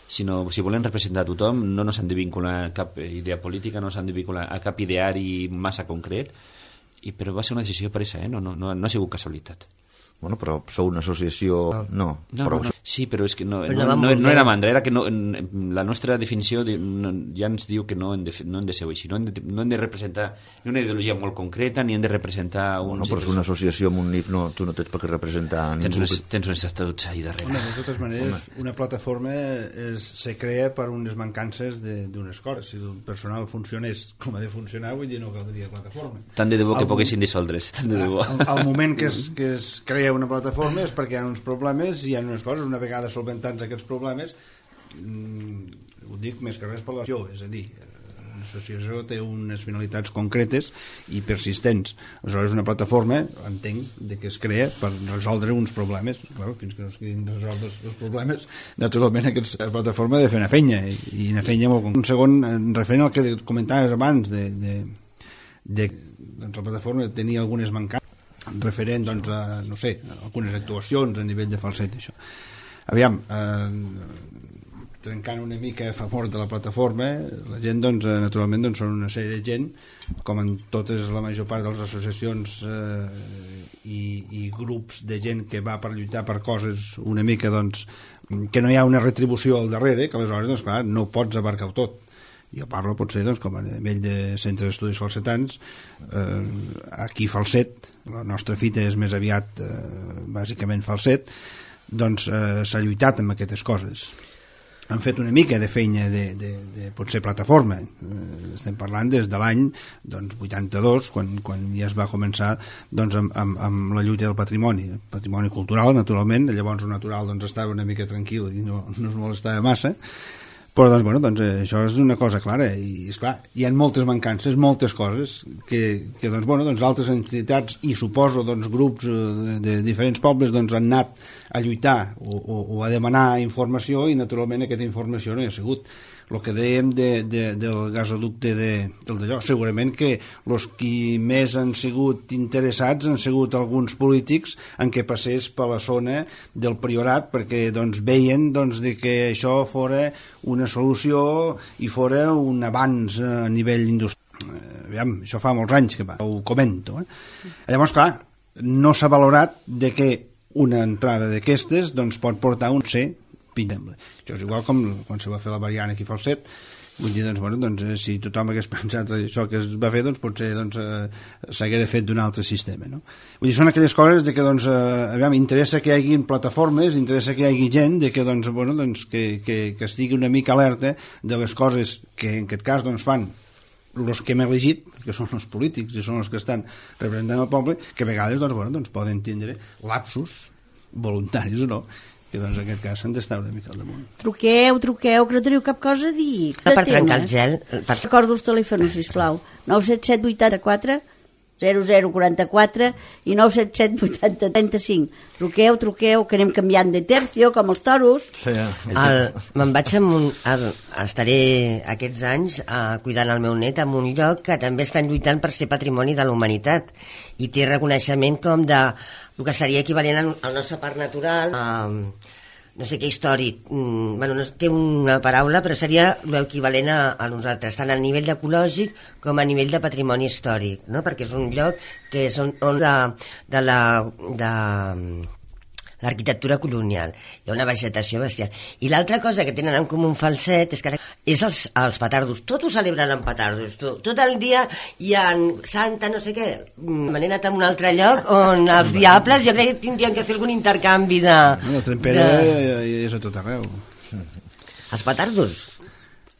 sinó si volen representar a tothom no ens han de vincular a cap idea política, no ens han de vincular a cap ideari massa concret, i, però va ser una decisió presa, eh? no, no, no, no ha sigut casualitat. Bueno, però sou una associació... No, no, però... no, no. Sí, però és que no, no, no, no, no era mandra, era que no, la nostra definició de, no, ja ens diu que no hem de, no hem de ser així, no hem de, no hem de representar ni una ideologia molt concreta, ni hem de representar... Bueno, però és una associació amb un N I F, no, tu no tens per què representar... Tens uns, tens uns estatuts ahí darrere. Home, de totes maneres, Home. una plataforma és, se crea per unes mancances d'unes coses. Si el personal funcionés com ha de funcionar, vull dir, no caldria plataforma. Tant de debò que poguessin dissoldre's, tant de debò. Al, al moment que es, que es crea una plataforma és perquè hi ha uns problemes i hi ha unes coses, una vegada solventats aquests problemes, mmm, ho dic més que res per l'acció, és a dir, l'associació té unes finalitats concretes i persistents. Aleshores, una plataforma, entenc, de que es crea per resoldre uns problemes. Clar, fins que no es quedin resolts els problemes, naturalment aquesta plataforma ha de fer una feina, i una feina molt concreta. Un segon, referent al que comentaves abans, de, de, de, doncs la plataforma tenia algunes mancances referent doncs, a, no sé, a algunes actuacions a nivell de Falset, això. aviam, eh, trencant una mica a favor de la plataforma, la gent, doncs, naturalment, doncs, són una sèrie de gent, com en totes la major part de les associacions eh, i, i grups de gent que va per lluitar per coses una mica, doncs, que no hi ha una retribució al darrere, que aleshores, doncs, clar, no pots abarcar-ho tot. Jo parlo, potser, doncs, com a nivell de centre d'estudis falsetans, eh, aquí falset, la nostra fita és més aviat, eh, bàsicament falset, doncs eh, s'ha lluitat amb aquestes coses. Han fet una mica de feina de, de, de potser plataforma. Eh, estem parlant des de l'any doncs, vuitanta-dos, quan, quan ja es va començar doncs, amb, amb, amb la lluita del patrimoni, el patrimoni cultural, naturalment. Llavors el natural doncs, estava una mica tranquil i no, no es molestava massa. Però doncs, bueno, doncs, eh, això és una cosa clara i esclar, hi ha moltes mancances, moltes coses que, que doncs, bueno, doncs, altres entitats i suposo doncs, grups de, de diferents pobles doncs, han anat a lluitar o, o, o a demanar informació i naturalment aquesta informació no hi ha sigut. El que dèiem de, de, del gasoducte de, del d'allò, segurament que els qui més han sigut interessats han sigut alguns polítics en què passés per la zona del Priorat perquè doncs, veien doncs, de que això fora una solució i fora un avanç a nivell industrial. Eh, aviam, això fa molts anys que va, ho comento. Eh? Llavors, clar, no s'ha valorat de que una entrada d'aquestes doncs, pot portar un C pitjable. Això és igual com quan se va fer la variant aquí Falset. Vull dir, doncs, bueno, doncs, si tothom hagués pensat això que es va fer, doncs potser doncs, eh, s'hagués fet d'un altre sistema, no? Vull dir, són aquelles coses de que, doncs, eh, aviam, interessa que hi hagi plataformes, interessa que hi hagi gent de que, doncs, bueno, doncs, que, que, que estigui una mica alerta de les coses que en aquest cas doncs, fan els que hem elegit, que són els polítics i són els que estan representant el poble, que a vegades doncs, bueno, doncs, poden tindre lapsus voluntaris o no, que doncs en aquest cas s'han d'estar una mica al damunt. Truqueu, truqueu, que no teniu cap cosa a dir. Per trencar el gel. Per... Recordo els telèfons, sisplau. nou set set vuit quatre zero zero quatre quatre i nou set set vuit zero tres cinc. Truqueu, truqueu, que anem canviant de tercio, com els toros. Sí, Me'n vaig amb un... El, estaré aquests anys uh, cuidant el meu net en un lloc que també estan lluitant per ser patrimoni de la humanitat i té reconeixement com de el que seria equivalent al, al nostre parc natural, uh, no sé què històric, mm, bueno, no, té una paraula, però seria l'equivalent a, a nosaltres, tant a nivell ecològic com a nivell de patrimoni històric, no? Perquè és un lloc que és on, on de, de la... De, l'arquitectura colonial, hi ha una vegetació bestial. I l'altra cosa que tenen en comú un Falset és que és els, els petardos, tot ho celebren amb petardos, tot, tot el dia hi ha Santa no sé què, me n'he anat a un altre lloc on els diables jo crec que tindrien que fer algun intercanvi de... La trempera de... és a tot arreu. Els petardos?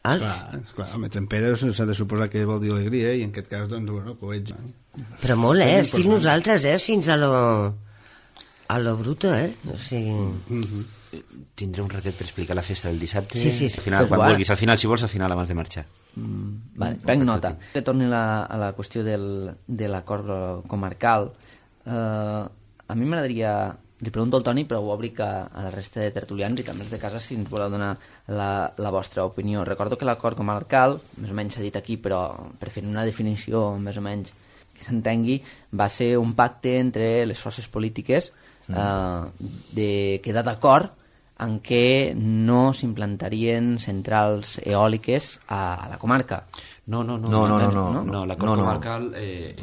Els? Clar, clar, home, trempera s'ha de suposar que vol dir alegria i en aquest cas, doncs, bueno, coets. Però molt, eh? Estic nosaltres, eh? Fins a lo... a lo bruto, eh? O sigui... Mm-hmm. Tindré un ratet per explicar la festa del dissabte. Sí, sí, sí. Al final, quan vulguis, al final, si vols, al final, abans de marxar. Mm, vale, prenc nota. Que torni la, a la qüestió del, de l'acord comarcal. Eh, a mi m'agradaria... Li pregunto al Toni, però ho obric a, a la resta de tertulians i també els de casa si ens voleu donar la, la vostra opinió. Recordo que l'acord comarcal, més o menys s'ha dit aquí, però per fer una definició més o menys que s'entengui, va ser un pacte entre les forces polítiques eh, de quedar d'acord en què no s'implantarien centrals eòliques a, a la comarca. No, no, no. No, no, no. no, no, no l'acord no, no. comarcal... Eh,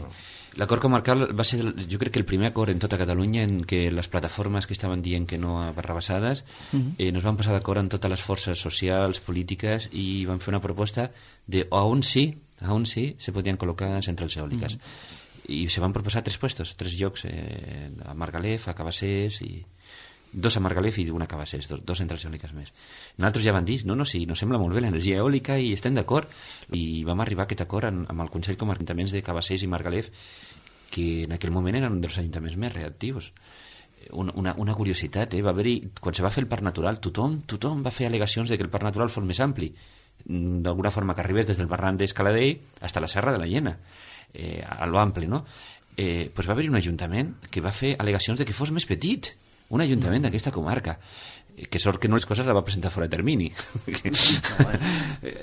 L'acord comarcal va ser, jo crec que el primer acord en tota Catalunya en què les plataformes que estaven dient que no a barrabassades uh-huh. eh, nos van posar d'acord amb totes les forces socials, polítiques i van fer una proposta de a on sí, a on sí se podien col·locar centrals eòliques. Uh-huh. I se van proposar tres puestos, tres llocs, eh, a Margalef, a Cabassers i... dos a Margalef i una a Cabassers, dos, dos centrals eòliques més. Nosaltres ja van dir, no, no, sí, nos sembla molt bé l'energia eòlica i estem d'acord. I vam arribar a aquest acord amb, amb el Consell com a ajuntaments de Cabassers i Margalef, que en aquell moment eren un dels ajuntaments més reactius. Una, una, una curiositat, eh? Va haver-hi, quan se va fer el Parc Natural, tothom, tothom va fer al·legacions de que el Parc Natural fos més ampli, d'alguna forma que arribés des del barranc d'Escaladell fins a la Serra de la Llena, eh, a lo ampli, no? Eh, pues va haver-hi un ajuntament que va fer al·legacions de que fos més petit, un ajuntament d'aquesta comarca. que sort que no les coses la va presentar fora de termini.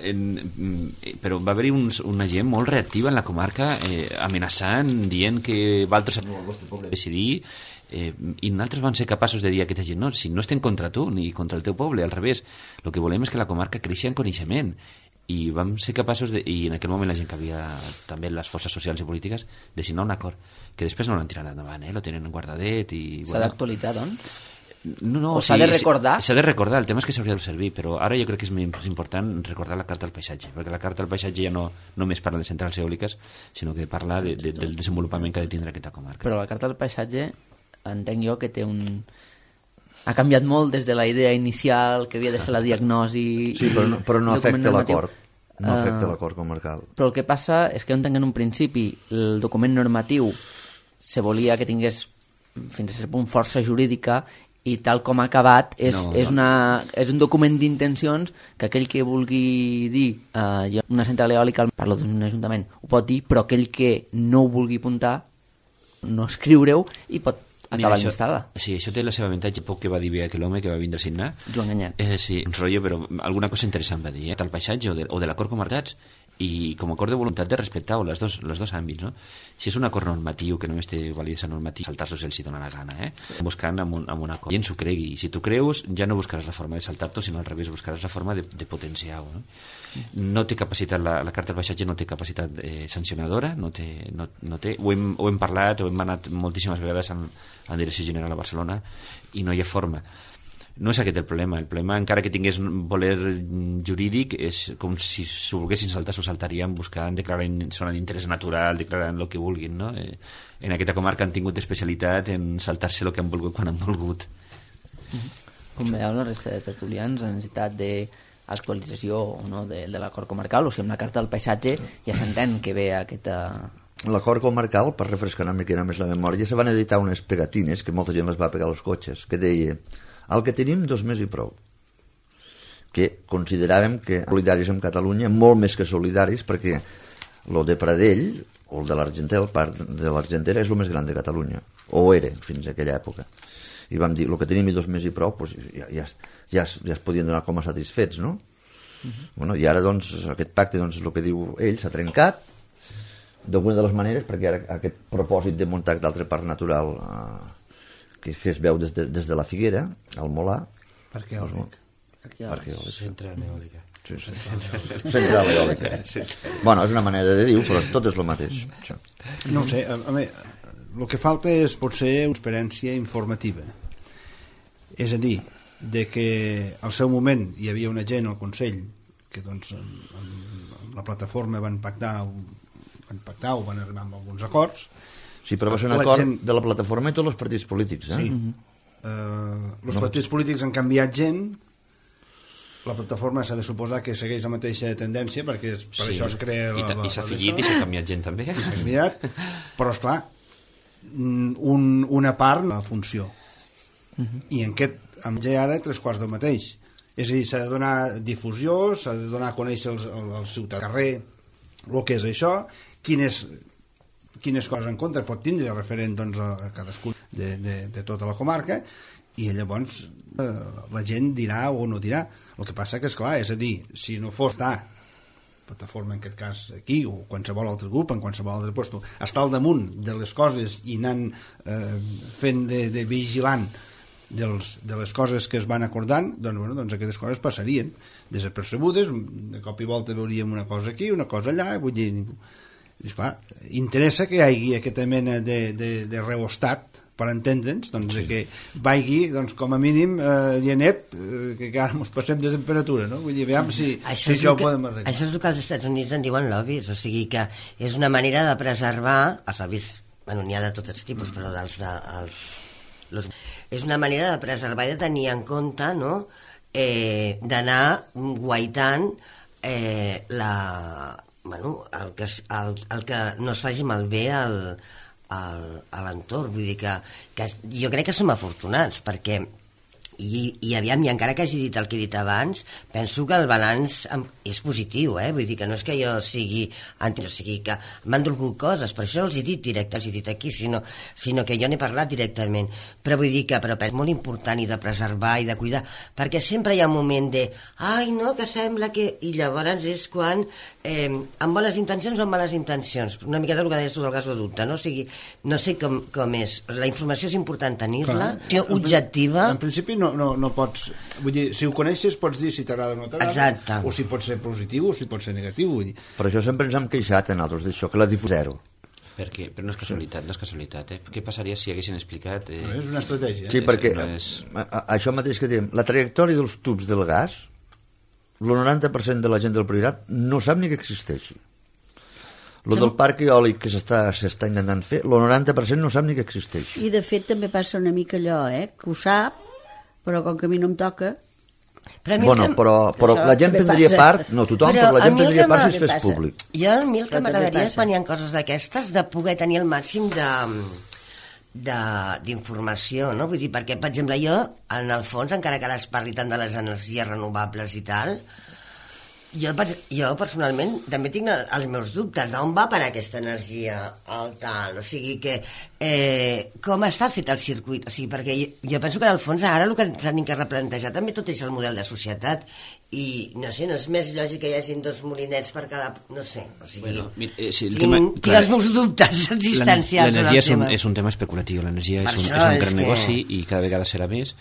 en, però va haver-hi un, una gent molt reactiva en la comarca, eh, amenaçant, dient que Valtros el vostre poble decidir, eh, i nosaltres vam ser capaços de dir a aquesta gent, no, si no estem contra tu ni contra el teu poble, al revés, el que volem és que la comarca creixi en coneixement, i vam ser capaços de, i en aquell moment la gent que havia també les forces socials i polítiques, de signar un acord que després no l'han tirat endavant, eh? Lo tenen guardadet i... S'ha bueno, d'actualitzar, doncs? No, no, o s'ha sí, de recordar? S'ha de recordar, el tema és que s'hauria de servir, però ara jo crec que és més important recordar la Carta del Paisatge, perquè la Carta del Paisatge ja no només parla de centrals eòliques, sinó que parla de, de, del desenvolupament que ha de tindre aquesta comarca. Però la Carta del Paisatge, entenc jo que té un... ha canviat molt des de la idea inicial, que havia de ser la diagnosi... Sí, però no, però no afecta l'acord. No uh, afecta l'acord comarcal. Però el que passa és que jo entenc que en un principi el document normatiu se volia que tingués fins a cert punt força jurídica, i tal com ha acabat és, no, és, una, és un document d'intencions que aquell que vulgui dir uh, una central eòlica, parlo d'un ajuntament, ho pot dir, però aquell que no ho vulgui apuntar, no escriure-ho i pot acabar l'instal·la. Sí, això té la seva avantatge, poc que va dir bé aquell home que va vindre a signar. Joan Ganyat. Eh, sí, un rotllo, però alguna cosa interessant va dir, eh? Del paisatge o de, o de l'acord comarcats, i com a acord de voluntat de respectar les dos, les dos àmbits, no? Si és un acord normatiu que només té validesa normativa, saltar-s'ho si els hi dona la gana, eh? Buscant amb un, amb un acord. I ens ho cregui. Si tu creus, ja no buscaràs la forma de saltar-t'ho, sinó al revés, buscaràs la forma de, de potenciar-ho, no? No té capacitat, la, la Carta del Paisatge no té capacitat eh, sancionadora, no té, no, no té, ho hem, ho hem parlat, ho hem anat moltíssimes vegades en, en Direcció General a Barcelona, i no hi ha forma. No és aquest el problema. El problema, encara que tingués voler jurídic, és com si s'ho volguessin saltar, s'ho saltarien buscant, declarant zona d'interès natural, declarant el que vulguin, no? Eh, en aquesta comarca han tingut especialitat en saltar-se el que han volgut quan han volgut. Com veieu la resta de tertulians, la necessitat d'actualització o no, de, de l'acord comarcal, o sigui, amb la Carta del Paisatge ja s'entén que ve aquesta... L'acord comarcal, per refrescar una mica més la memòria, se van editar unes pegatines que molta gent les va pegar als cotxes, que deia: el que tenim dos més i prou, que consideràvem que solidaris amb Catalunya, molt més que solidaris, perquè el de Pradell o el de l'Argentera, el parc de l'Argentera és el més gran de Catalunya, o era fins a aquella època, i vam dir, el que tenim i dos més i prou, doncs ja, ja, ja, ja es podien donar com a satisfets, no? Uh-huh. Bueno, i ara doncs aquest pacte, doncs, el que diu ell, s'ha trencat d'alguna de les maneres, perquè ara aquest propòsit de muntar d'altre parc natural eh, que, que es veu des de, des de la Figuera, al Molar. Parc eòlic. Parc eòlic. Central eòlica. Sí, sí. Central eòlica. Bueno, és una manera de dir-ho, però tot és el mateix. Això. No ho sé, a, a mi, el que falta és potser una experiència informativa. És a dir, de que al seu moment hi havia una gent al Consell que doncs amb, amb la plataforma van pactar van pactar o van arribar amb alguns acords. Sí, però va ser un acord gent... de la plataforma i tots els partits polítics, eh? Sí. Uh, els no. partits polítics han canviat gent, la plataforma s'ha de suposar que segueix la mateixa tendència, perquè per sí. això es crea... I, la, la, i s'ha afegit i s'ha canviat gent també. I s'ha canviat, però esclar, un, una part la funció. Uh-huh. I en aquest, amb ja ara, tres quarts del mateix. És a dir, s'ha de donar difusió, s'ha de donar a conèixer els, els ciutadans al carrer el que és això, quines, quines coses en contra pot tindre referent doncs, a cadascun de, de, de tota la comarca, i llavors eh, la gent dirà o no dirà. El que passa que, esclar, és a dir, si no fos ta plataforma, en aquest cas aquí, o qualsevol altre grup, en qualsevol altre lloc, està al damunt de les coses i anant eh, fent de, de vigilant dels, de les coses que es van acordant, doncs, bueno, doncs aquestes coses passarien desapercebudes, de cop i volta veuríem una cosa aquí, una cosa allà, vull dir, i, esclar, interessa que hi hagi aquesta mena de, de, de reostat per entendre'ns, doncs, sí. que vagi, doncs, com a mínim, eh, dient, ep, eh, que ara ens passem de temperatura, no? Vull dir, veiem si això, si això ho podem arreglar. Això és el que als Estats Units en diuen lobbies, o sigui que és una manera de preservar, els lobbies, bueno, n'hi ha de tots tipus, mm. però dels de, els, los, és una manera de preservar i de tenir en compte, no?, eh, d'anar guaitant eh, la, bueno, el, que, el, el que no es faci malbé al a l'entorn. Vull dir que, que jo crec que som afortunats, perquè I, i aviam, i encara que hagi dit el que he dit abans, penso que el balanç és positiu, eh? Vull dir que no és que jo sigui anti, o sigui que m'han dolgut coses, per això els he dit directe, els he dit aquí, sinó, sinó que jo n'he parlat directament, però vull dir que però és molt important i de preservar i de cuidar, perquè sempre hi ha un moment de ai no, que sembla que... i llavors és quan eh, amb bones intencions o amb males intencions, una miqueta el que deies tu del gasoducte, no? O sigui, no sé com, com és, la informació és important tenir-la, objectiva. En principi no, no, no pots, vull dir, si ho coneixes pots dir si t'agrada o no t'agrada, o si pot ser positiu o si pot ser negatiu, vull dir. Per això sempre ens hem queixat en altres d'això, que la difusió zero. Perquè, però no és casualitat, no és casualitat, eh? Què passaria si haguessin explicat... Eh... No, és una estratègia. Sí, perquè no és... això mateix que diem, la trajectòria dels tubs del gas, el noranta per cent de la gent del Priorat no sap ni que existeixi. Lo del parc eòlic que s'està s'està intentant fer, el noranta per cent no sap ni que existeix. I de fet també passa una mica allò, eh? Que ho sap, però com que a mi no em toca... Però bueno, que... però, però la gent prendria passa. part, no tothom, però, però la gent prendria part si es fes públic. Jo a mi el que m'agradaria és quan hi ha coses d'aquestes de poder tenir el màxim de d'informació, no? Vull dir, perquè, per exemple, jo, en el fons, encara que ara es parli tant de les energies renovables i tal, jo, jo personalment també tinc els meus dubtes d'on va per aquesta energia al tal, o sigui que eh, com està fet el circuit, o sigui, perquè jo, jo penso que al fons ara el que s'han de replantejar també tot és el model de societat i no sé, no és més lògic que hi hagi dos molinets per cada... no sé, o sigui... Bueno, eh, si tinc, tema, tinc clar, els meus dubtes existencials. L'energia és, un, és un tema especulatiu, l'energia és, un, és un gran és negoci que... i cada vegada serà més.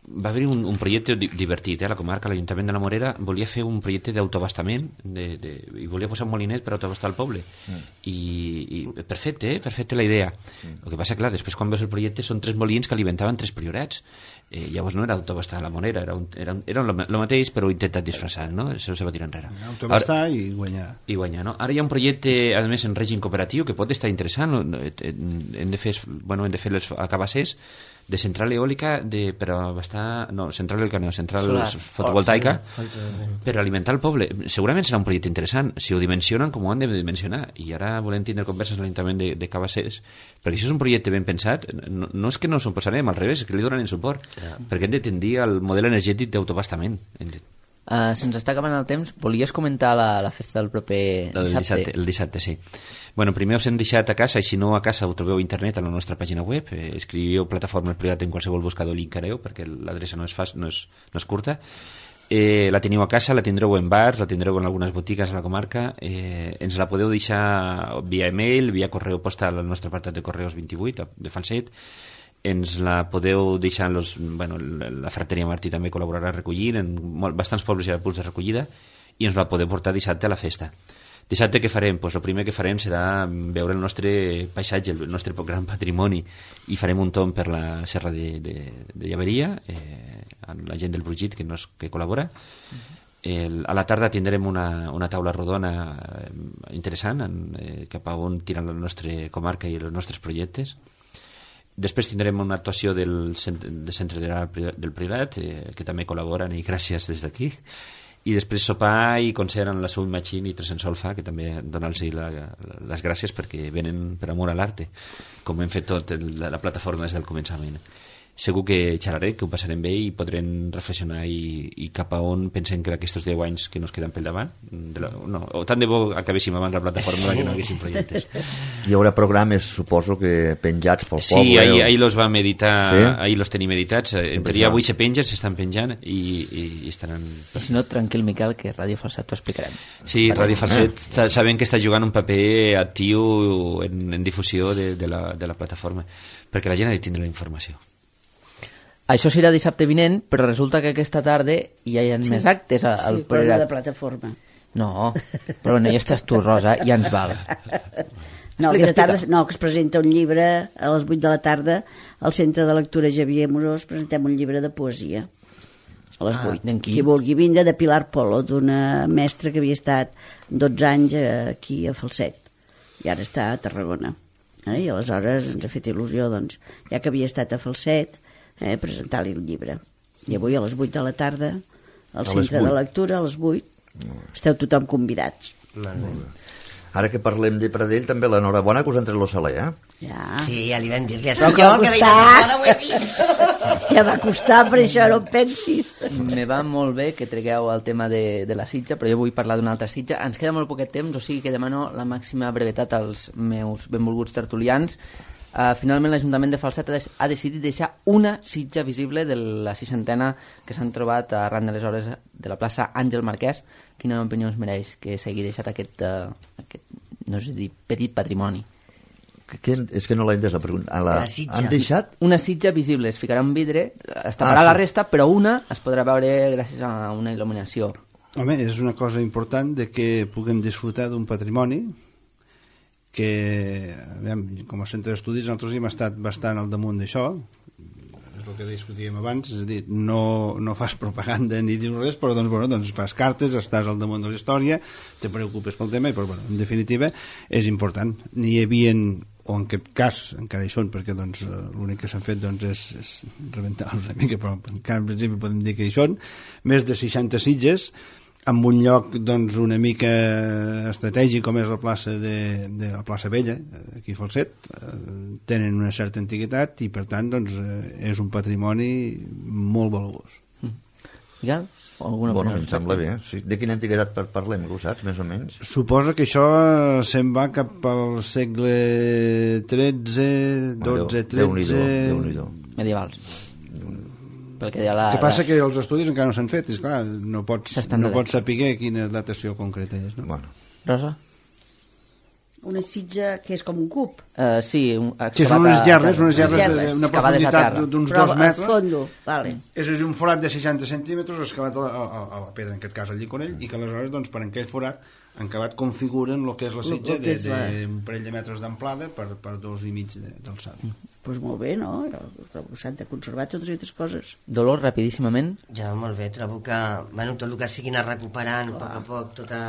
Va haver un, un projecte divertit, eh? La comarca, l'Ajuntament de la Morera volia fer un projecte d'autoabastament de, de, i volia posar un molinet per autoabastar el poble mm. I, i perfecte, eh? Perfecte la idea mm. El que passa, clar, després quan veus el projecte són tres molins que alimentaven tres priorats, eh, llavors no era autoabastar la Morera, era, un, era, era el mateix però intentat disfressar, no? Això se va tirar enrere, autoabastar i guanyar i guanyar, no? Ara hi ha un projecte a més en règim cooperatiu que pot estar interessant, no? Hem de fer, bueno, hem de fer les acabassers de central eòlica de, per abastar, no, central eòlica no, central solar, fotovoltaica oh, per alimentar el poble. Segurament serà un projecte interessant si ho dimensionen com ho han de dimensionar, i ara volem tindre converses a l'Ajuntament de, de Cabassers, perquè això és un projecte ben pensat, no, no és que no s'ho posarem, al revés, és que li donen suport, yeah. Perquè hem de tendir al model energètic d'autoabastament. Uh, se'ns està acabant el temps. Volies comentar la, la festa del proper la del dissabte? dissabte? El dissabte, sí. Bueno, primer us hem deixat a casa, i si no a casa ho trobeu a internet a la nostra pàgina web, eh, escriviu Plataforma Privat en qualsevol buscador i encareu, perquè l'adreça no és fàcil, no és, no és curta. Eh, la teniu a casa, la tindreu en bars, la tindreu en algunes botigues a la comarca, eh, ens la podeu deixar via e-mail, via correu postal al nostre apartat de correus vint-i-vuit de Falset, ens la podeu deixar en los, bueno, la Frateria Martí també col·laborarà recollint, en molt, bastants pobles hi ha punts de recollida, i ens la podeu portar dissabte a la festa. Dissabte què farem? Pues el primer que farem serà veure el nostre paisatge, el nostre gran patrimoni, i farem un tomb per la serra de, de, de Llaveria, eh, amb la gent del Brugit que, nos, que col·labora. El, a la tarda tindrem una, una taula rodona eh, interessant en, eh, cap a on tiren la nostra comarca i els nostres projectes. Després tindrem una actuació del centre, del centre del Priorat, eh, que també col·laboren, i gràcies des d'aquí. I després sopar i concert en la Soul Machine i Tres en Solfa, que també donar-los la, les gràcies perquè venen per amor a l'arte, com hem fet tot el, la plataforma des del començament. Segur que xerraré, que ho passarem bé i podrem reflexionar i, i cap a on pensem que aquests deu anys que nos queden pel davant, de la, no, o tant de bo acabéssim abans la plataforma sí. Que no haguéssim projectes. Hi haurà programes, suposo, que penjats pel sí, poble. Sí, ahir, o... ahir los va meditar, sí? Ahir los tenim meditats, en teoria avui se pengen, s'estan penjant i, i, i estaran... I si no, tranquil, Miquel, que Ràdio Falset t'ho explicarem. Sí, Ràdio Falset eh. sabem que està jugant un paper actiu en, en difusió de, de, la, de la plataforma, perquè la gent ha de tindre la informació. Això serà dissabte vinent, però resulta que aquesta tarda hi ha sí. més actes al sí, Priorat. Sí, però de plataforma. No, però no hi estàs tu, Rosa, ja ens val. No, explica, tarda, no, que es presenta un llibre a les vuit de la tarda al Centre de Lectura Xavier Morós, presentem un llibre de poesia a les vuit. Ah, qui vulgui vindre, de Pilar Polo, d'una mestra que havia estat dotze anys aquí a Falset i ara està a Tarragona. Eh? I aleshores ens ha fet il·lusió, doncs, ja que havia estat a Falset, eh, presentar-li el llibre. I avui a les vuit de la tarda al Centre de Lectura, a les vuit, esteu tothom convidats. Molt bé. Ara que parlem de Pradell, també l'enhorabona que us han tret l'Osaler, eh? Ja. Sí, ja li vam dir, li Però estic que jo, va que costar. veia ara ho he dit. Ja va costar, per això no en pensis. Me va molt bé que tregueu el tema de, de la sitja, però jo vull parlar d'una altra sitja. Ens queda molt poquet temps, o sigui que demano la màxima brevetat als meus benvolguts tertulians. Uh, finalment l'Ajuntament de Falset ha, ha decidit deixar una sitja visible de la seixantena que s'han trobat arran de les obres de la plaça Àngel Marquès. Quina opinió us mereix que s'hagi deixat aquest, uh, aquest, no sé dir, petit patrimoni? Que, que, és que no l'he entès la pregunta. A la, La sitja. han deixat? Una sitja visible, es ficarà un vidre, es taparà Ah, sí. la resta, però una es podrà veure gràcies a una il·luminació. Home, és una cosa important de que puguem disfrutar d'un patrimoni que, aviam, com a centre d'estudis, nosaltres hem estat bastant al damunt d'això, és el que discutíem abans, és a dir, no, no fas propaganda ni dius res, però doncs, bueno, doncs fas cartes, estàs al damunt de la història, te preocupes pel tema, i però, bueno, en definitiva, és important. N'hi havia, o en cap cas, encara hi són, perquè doncs, l'únic que s'han fet doncs, és, és rebentar-los una mica, però encara en principi podem dir que hi són, més de seixanta sitges, amb un lloc doncs, una mica estratègic com és la plaça de, de la plaça Vella, aquí a Falset, eh, tenen una certa antiguitat i per tant doncs, eh, és un patrimoni molt valuós. Miguel? O alguna Bueno, opinió em al sembla respecte? bé. Sí. De quina antiguitat par- parlem, ho saps, més o menys? Suposa que això se'n va cap al segle tretze, dotze, Déu-n'hi-do, tretze... Déu-n'hi-do. Medievals. Pel que deia la... El que passa la... que els estudis encara no s'han fet, és clar, no pots, S'estan no de- pots saber quina datació concreta és. No? Bueno. Rosa? Una sitja que és com un cub. Uh, sí, un, Sí, són unes gerres, unes gerres Gerres. d'una Excavades a profunditat terra. d'uns Però dos al metres. fondo, vale. És a dir, un forat de seixanta centímetres excavat a la, a, a la pedra, en aquest cas al llicorell, i que aleshores, doncs, per aquell forat han acabat configuren el que és la Lo- sitja lo que d'un és la- parell de metres d'amplada per, per dos i mig de- d'alçada. Doncs pues molt bé, no? Trobo s'han de conservar totes aquestes coses. Dolors, rapidíssimament. Ja, molt bé, trobo que, bueno, tot el que siguin a recuperant a poc a poc tota,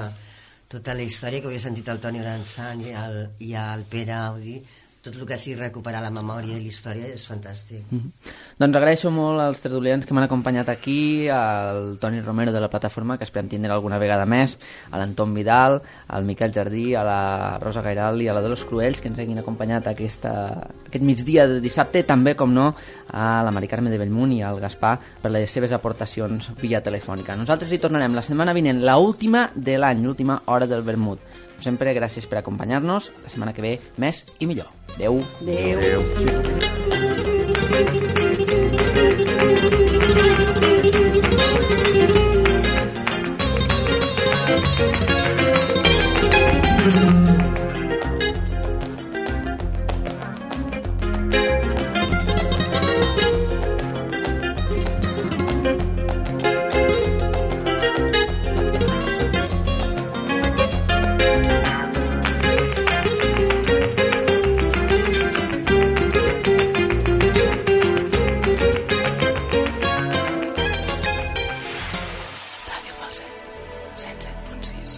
tota la història que havia sentit el Toni Gransan i el, i el Pere Audi, tot el que sigui recuperar la memòria i la història és fantàstic. Mm -hmm. Doncs agraeixo molt als tertulians que m'han acompanyat aquí, al Toni Romero de la plataforma, que esperem tindre alguna vegada més, a l'Anton Vidal, al Miquel Jardí, a la Rosa Gairal i a la Dolors Cruells, que ens hagin acompanyat aquesta, aquest migdia de dissabte, també, com no, a la Mari Carme de Bellmunt i al Gaspar per les seves aportacions via telefònica. Nosaltres hi tornarem la setmana vinent, la última de l'any, l'última hora del vermut. Sempre gràcies per acompanyar-nos. La setmana que ve, més i millor. Adéu. Adéu. Adéu. Ràdio Falset, cent set punt sis.